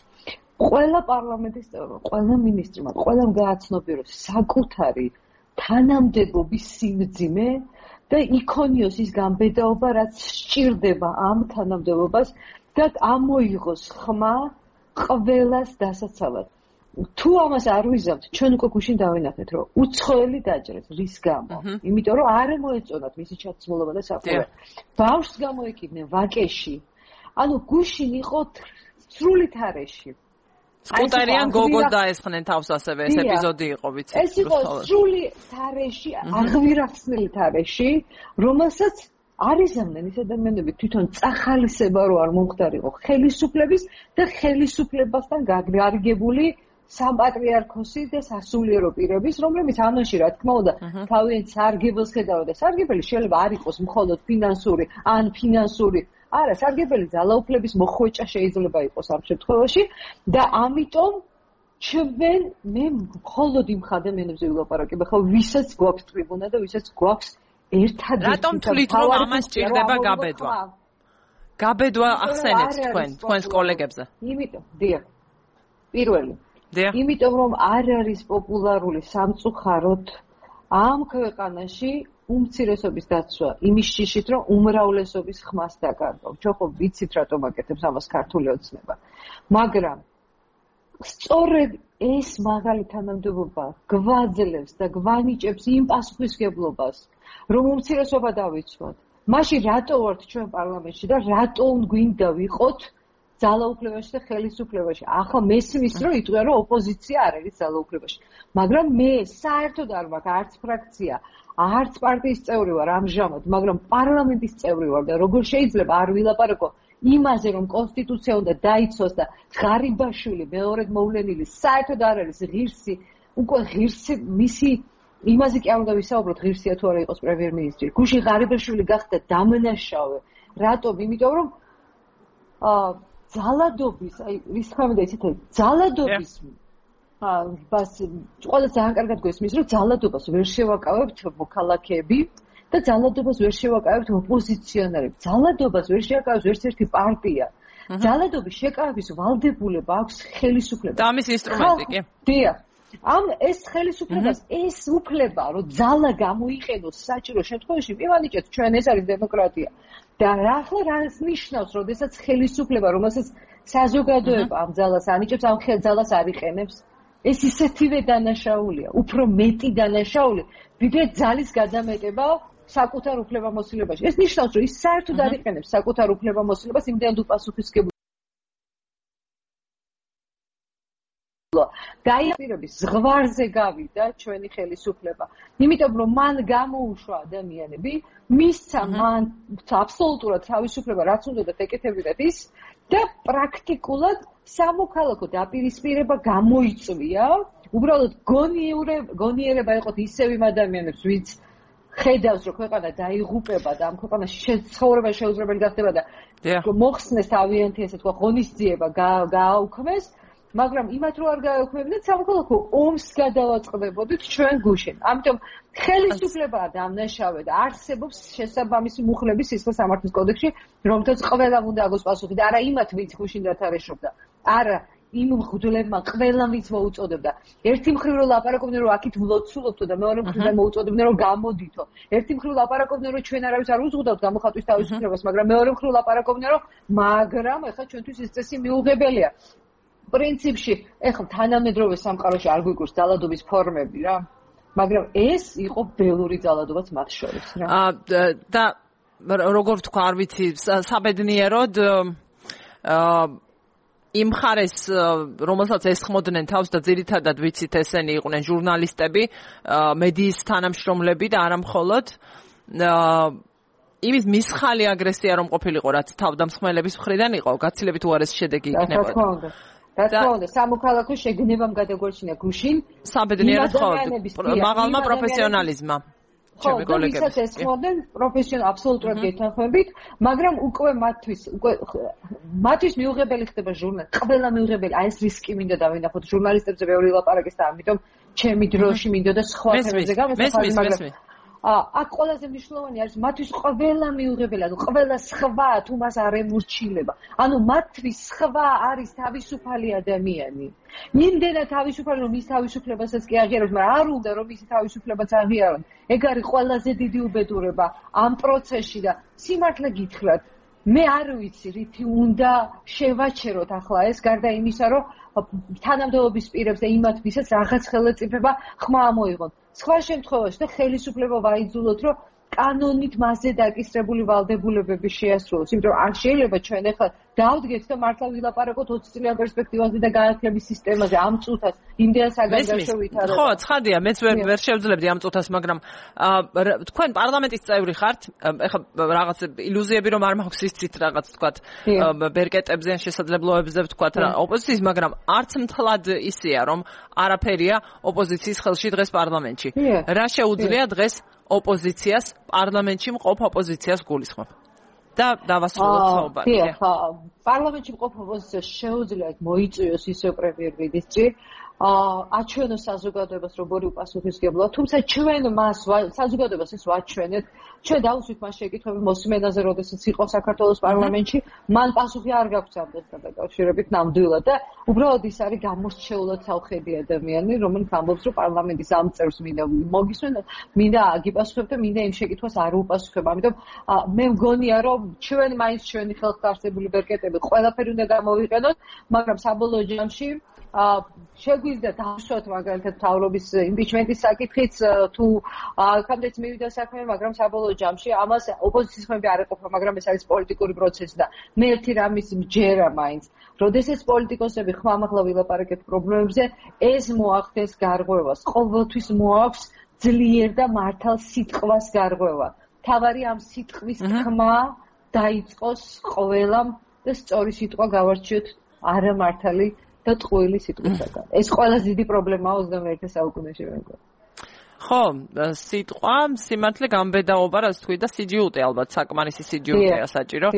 ყველა პარლამენტის წევრმა, ყველა მინისტრმა, ყველამ გააცნობიეროს საკუთარი თანამდებობის სიმძიმე და იქონიოს ის გამბედაობა, რაც სჭირდება ამ თანამდებობას და ამოიღოს ხმა ყველას დასაცავად. თუ ამას არ ვიზამთ, ჩვენ უკვე გუშინ დავინახეთ, რომ უცხოელი დაჭრეს, რის გამო? იმიტომ რომ არ მოეწონათ მისი ჩაცმულობა და საყურე. ბავშვს გამოეკიდნენ ვაკეში. ანუ გუშინ იყო სრული თარეში. სკუტერიან გოგოს დაესხნენ თავს ასევე ეს ეპიზოდი იყო ვიცი ეს იყო სრული თარეში აღვირახსნილი თარეში რომელსაც არიზამდნენ ის ადამიანები თვითონ წახალისება რო არ მომხდარიყო ხელისუფლების და ხელისუფლებასთან გარიგებული სამპატრიარქოსი და სასულიერო პირების რომლებიც ამაში რა თქმა უნდა თავიანთ სარგებელს ხედავდა და სარგებელი შეიძლება არ იყოს მხოლოდ ფინანსური ან ფინანსური არა, სარგებელი ძალაუფლების მოხვეჭა შეიძლება იყოს ამ შემთხვევაში და ამიტომ ჩვენ მე მხოლოდ იმ ადამიანებზე ვილაპარაკებ, ხო ვისაც გვაქვს ტრიბუნა და ვისაც გვაქვს ერთადერთი რატომ თვლით რომ ამას სჭირდება გაბედვა? გაბედვა ახსენეთ თქვენ, თქვენს კოლეგებზე. იმიტომ, დიახ. პირველი. დიახ. იმიტომ რომ არ არის პოპულარული სამწუხაროდ ამ ქვეყანაში უმცირესობის დაცვა იმის შიშით რომ უმრავლესობის ხმას დაკარგავ. ჩვენ ხო ვიცით რატომ აკეთებს ამას ქართული ოცნება. მაგრამ სწორედ ეს მაღალი თანამდებობა გვაძლევს და გვანიჭებს იმ პასუხისგებლობას, რომ უმცირესობა დავიცვათ. მაშინ რატო ვართ ჩვენ პარლამენტში და რატო გვინდა ვიყოთ ძალაუფლებაში და ხელისუფლებაში. ახლა მესმის რომ იტყვია რომ ოპოზიცია არ არის ძალაუფლებაში. მაგრამ მე საერთოდ არ მაქვს არც ფრაქცია არც პარტიის წევრი ვარ ამჟამად, მაგრამ პარლამენტის წევრი ვარ და როგორ შეიძლება არ ვილაპარაკო იმაზე, რომ კონსტიტუცია უნდა დაიცვას და ღარიბაშვილი მეორედ მოვლენილი საერთოდ არ არის ღირსი, უკვე ღირსი მისი იმაზე კი არ უნდა ვისაუბროთ ღირსია თუ არა იყოს პრემიერ-მინისტრი. გუშინ ღარიბაშვილი გახდა დამნაშავე. რატომ? იმიტომ რომ აა ძალადობის, აი რის ხამდა იცით, ძალადობის ბას ყველა ძალიან კარგად გვესმის რომ ძალადობას ვერ შევაკავებთ მოქალაქეები და ძალადობას ვერ შევაკავებთ ოპოზიციონერები. ძალადობას ვერ შევაკავებს ერთ ერთი პარტია. ძალადობის შეკავების ვალდებულება აქვს ხელისუფლებას. და ამის ინსტრუმენტი კი. დიახ. ამ ეს ხელისუფლებას ეს უფლება რომ ძალა გამოიყენოს საჭირო შემთხვევაში მივანიჭეთ ჩვენ ეს არის დემოკრატია. და ახლა რას ნიშნავს, როდესაც ხელისუფლება, რომელსაც საზოგადოება ამ ძალას ანიჭებს, ამ ხელძალას არ იყენებს? ეს ისეთივე დანაშაულია, უფრო მეტი დანაშაული, ვიდრე ძალის გადამეტება საკუთარ უფლებამოსილებაში. ეს ნიშნავს, რომ ის საერთოდ არ იყენებს საკუთარ უფლებამოსილებას, იმდენად უპასუხისმგებლობა. დაიაპირების ზღვარზე გავიდა ჩვენი ხელისუფლება. იმიტომ რომ მან გამოუშვა ადამიანები, მისცა მან აბსოლუტურად თავისუფლება, რაც უნდათ ეკეთებინათ ის და პრაქტიკულად სამოქალაქო დაპირისპირება გამოიწვია. უბრალოდ გონიერება იყოთ ისევ იმ ადამიანებს, ვინც ხედავს, რომ ქვეყანა დაიღუპება და ამ ქვეყანაში ცხოვრება შეუძლებელი გახდება და მოხსნეს თავიანთი ესე თქვა ღონისძიება გააუქმეს. მაგრამ იმათ რო არ გაექვემდებოდეთ სამოქალაქო ომს გადავაწყდებოდით ჩვენ გუშინ. ამიტომ ხელისუფლებაა დამნაშავე და არსებობს შესაბამისი მუხლების სისხლის სამართლის კოდექსში, რომელთაც ყველამ უნდა აგოს პასუხი და არა იმათ, ვინც გუშინ დათარეშობდა. არა იმ მღვდლებმა ყველამ ვინც მოუწოდებდა. ერთი მხრივ რომ ლაპარაკობდნენ რომ აქით ვლოცულობთო და მეორე მხრივ მოუწოდებდნენ რომ გამოდითო. ერთი მხრივ ლაპარაკობდნენ რომ ჩვენ არავის არ უზღუდავთ გამოხატვის თავისუფლებას, მაგრამ მეორე მხრივ ლაპარაკობდნენ რომ მაგრამ ეხლა ჩვენთვის ეს წესი მიუღებელია. პრინციპში ეხლა თანამედროვე სამყაროში არ გვიგურს ძალადობის ფორმები რა. მაგრამ ეს იყო ველური ძალადობაც მათ შორის რა. აა და როგორ თქვა არ ვიცი საბედნიეროდ აა იმ ხარეს რომელსაც ესხმოდნენ თავს და ძირითადად ვიცით ესენი იყვნენ ჟურნალისტები, მედიის თანამშრომლები და არა მხოლოდ იმის მისხალი აგრესია რომ ყოფილიყო რაც თავდამსხმელების მხრიდან იყო, გაცილებით უარესი შედეგი იქნებოდა. რა თქმა უნდა. რა თქმა უნდა, სამოქალაქო შეგნებამ გადაგორჩინა გუშინ. საბედნიეროდ ხო, მაღალმა პროფესიონალიზმმა. ხო, ვისაც ესხმოდნენ პროფესიონალ აბსოლუტურად გეთანხმებით, მაგრამ უკვე მათთვის უკვე მათთვის მიუღებელი ხდება ჟურნალი. ყველა მიუღებელი, აი ეს რისკი მინდა დავინახოთ ჟურნალისტებზე ბევრი ლაპარაკის და ამიტომ ჩემი დროში მინდა და სხვა თემებზე გამოსახავი, მაგრამ აქ ყველაზე მნიშვნელოვანი არის მათთვის ყველა მიუღებელი, ანუ ყველა სხვა თუ მას არ ემორჩილება. ანუ მათთვის სხვა არის თავისუფალი ადამიანი. იმდენად თავისუფალი რომ ის თავისუფლებასაც კი აღიარებს, მაგრამ არ უნდა რომ ისი თავისუფლებაც აღიარონ. ეგ არის ყველაზე დიდი უბედურება ამ პროცესში და სიმართლე გითხრათ, მე არ ვიცი რითი უნდა შევაჩეროთ ახლა ეს გარდა იმისა, რომ თანამდებობის პირებს და იმათ ვისაც რაღაც ხელმწიფება ხმა ამოიღონ. სხვა შემთხვევაში და ხელისუფლება ვაიძულოთ, რომ კანონით მასზე დაკისრებული ვალდებულებები შეასრულოს. იმიტომ რომ არ შეიძლება ჩვენ ახლა დავდგეთ და მართლა ვილაპარაკოთ ოცი წლიან პერსპექტივაზე და განათლების სისტემაზე ამ წუთას იმდენ საგანგაშო ვითარება. ხო, ცხადია, მეც ვერ ვერ შევძლებდი ამ წუთას, მაგრამ თქვენ პარლამენტის წევრი ხართ, ეხლა რაღაც ილუზიები რომ არ მაქვს ისიც რაღაც თქვათ ბერკეტებზე ან შესაძლებლობებზე თქვათ ოპოზიციის, მაგრამ არც მთლად ისეა რომ არაფერია ოპოზიციის ხელში დღეს პარლამენტში. რა შეუძლია დღეს ოპოზიციას პარლამენტში მყოფ ოპოზიციას გულისხმობ. და დავასრულოთ საუბარი. დიახ, პარლამენტში მყოფ ოპოზიციას შეუძლია მოიწვიოს ისევ პრემიერ-მინისტრი, აჩვენოს საზოგადოებას როგორი უპასუხისმგებლოა, თუმცა ჩვენ მას საზოგადოებას ეს ვაჩვენეთ, ჩვენ დავუსვით მას შეკითხვები მოსმენაზე, როდესაც იყო საქართველოს პარლამენტში, მან პასუხი არ გაგვცა ამასთან დაკავშირებით ნამდვილად და უბრალოდ ის არის გამორჩეულად თავხედი ადამიანი, რომელიც ამბობს, რომ პარლამენტის ამ წევრს მინდა მოგისმენ, მინდა აგიპასუხებ და მინდა იმ შეკითხვას არ უპასუხებ. ამიტომ მე მგონია, რომ ჩვენ მაინც ჩვენი ხელთ არსებული ბერკეტები ყველაფერი უნდა გამოვიყენოთ, მაგრამ საბოლოო ჯამში შეგვიძლია დავსვათ მაგალითად მთავრობის იმპიჩმენტის საკითხიც თუ აქამდეც მივიდა საქმე, მაგრამ საბოლოო ჯამში ამას ოპოზიციის ხმები არ ეყოფა, მაგრამ ეს არის პოლიტიკური პროცესი და მე ერთი რამის მჯერა მაინც. როდესაც პოლიტიკოსები ხმამაღლა ვილაპარაკეთ პრობლემებზე, ეს მოახდენს გარღვევას. ყოველთვის მოაქვს ძლიერ და მართალ სიტყვას გარღვევა. თავარი ამ სიტყვის თქმა დაიწყოს ყველამ და სწორი სიტყვა გავარჩიოთ არა მართალი და ტყუილი სიტყვისაგან. ეს ყველაზე დიდი პრობლემაა ოცდამეერთე საუკუნეში მე მგონი. ხო, სიტყვა, სიმართლე გამბედაობა, რაც თქვი და სიჯიუტე ალბათ საკმარისი სიჯიუტეა საჭირო.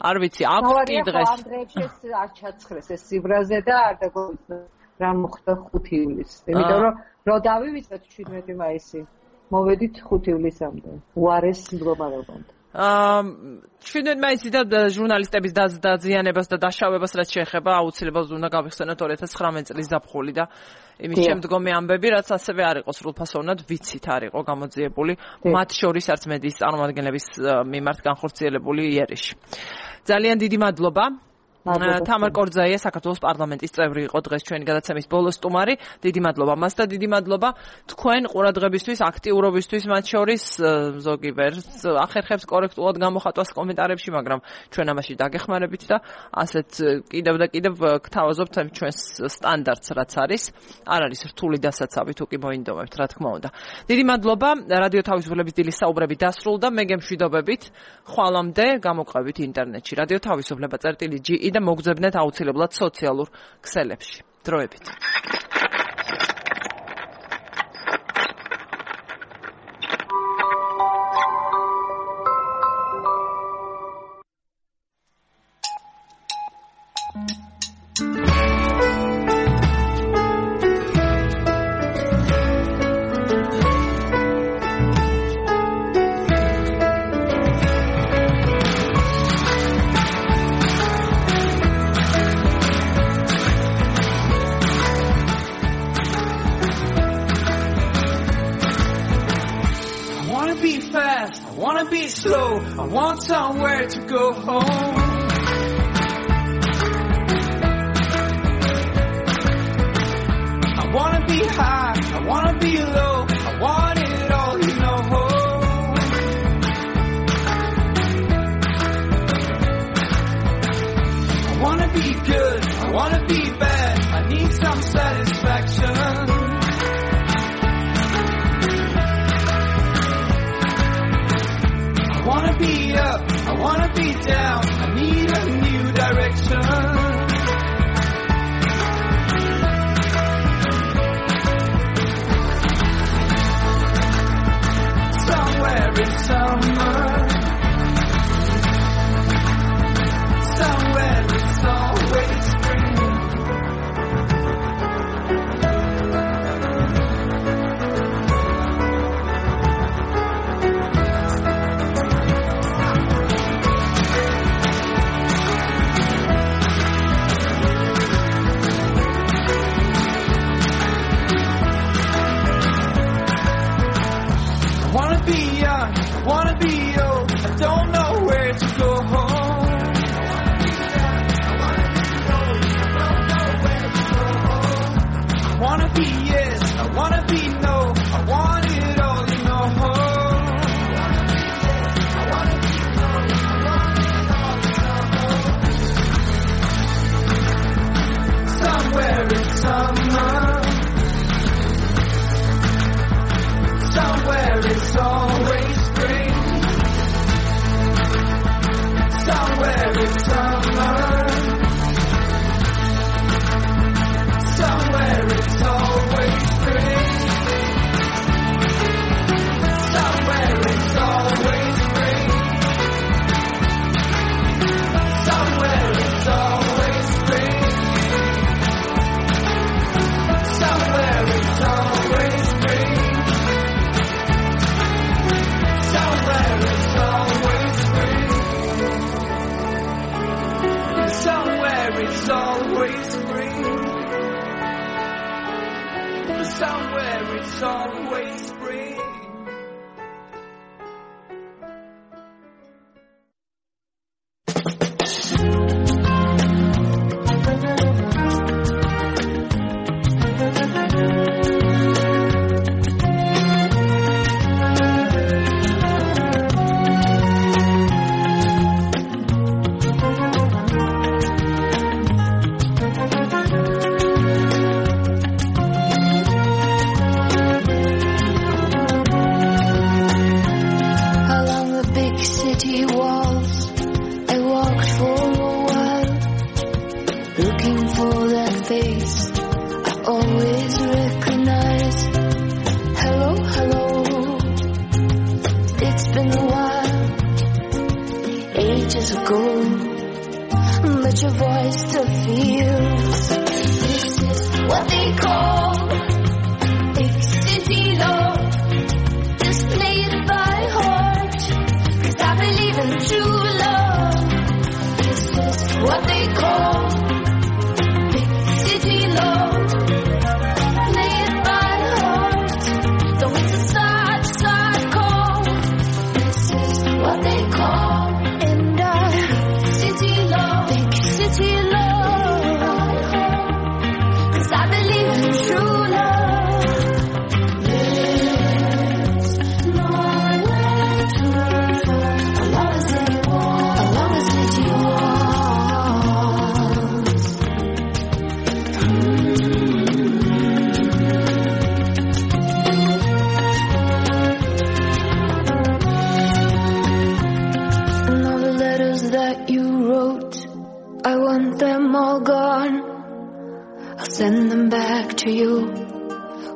არ ვიცი, აქვს კი დღეს. ამ დღეებში არ ჩაცხრეს ეს სიბრაზე და არ დაგვიწევს რა მოხდა ხუთი ივლისს. იმიტომ რომ რო დავივიწყეთ შვიდმეტი მაისი, მოვედით ხუთი ივლისამდე. უარეს მდგომარეობამდე. აა შვიდმეტი მაისი და ჟურნალისტების დაზიანებას და დაშავებას რაც შეეხება აუცილებლად უნდა გავიხსენოთ ორი ათას ცხრამეტი წლის ზაფხული და იმის შემდგომი ამბები რაც ასევე არ იყო სრულფასოვნად ვიცით არ იყო გამოძიებული მათ შორის არც მედიის წარმომადგენლების მიმართ განხორციელებული იერიში. ძალიან დიდი მადლობა. თამარ კორძაია საქართველოს პარლამენტის წევრი იყო დღეს ჩვენი გადაცემის ბოლო სტუმარი. დიდი მადლობა მას და დიდი მადლობა თქვენ ყურადღებისთვის, აქტიურობისთვის, მათ შორის ზოგი ვერს ახერხებს კორექტულად გამოხატვას კომენტარებში, მაგრამ ჩვენ ამაში დაგეხმარებით და ასეთ კიდევ და კიდევ გთავაზობთ ჩვენს სტანდარტს რაც არის. არ არის რთული დასაცავი თუ კი მოინდომებთ, რა თქმა უნდა. დიდი მადლობა. რადიო თავისუფლების დილის საუბრები დასრულდა. მე გემშვიდობებით. ხვალამდე გამოყვებით ინტერნეტში. რადიო თავისუფლება წერტილი ჯი და მოგძებნეთ აუცილებლად სოციალურ ქსელებში. დროებით. wanna be slow, I want somewhere to go home. I wanna be high, I wanna be low, I want it all, you know. I wanna be good, I wanna be bad, I need some satisfaction. I wanna be up, I wanna be down, I need a new direction. Somewhere in summer, somewhere it's always spring. I wanna be young, I wanna be old, I don't know where to go home. I wanna be yes, I wanna be no, I want it all, you know. I wanna be no, I want it all, you know. Somewhere in summer, somewhere it's always spring. Somewhere it's summer, somewhere it's always spring. Somewhere it's always spring. Somewhere it's always spring. Somewhere it's always spring. Somewhere it's always spring. Somewhere it's always spring. Somewhere it's always spring. Send them back to you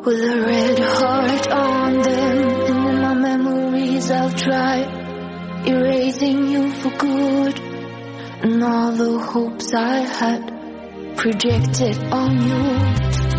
with a red heart on them. And in my memories I'll try erasing you for good. And all the hopes I had projected on you.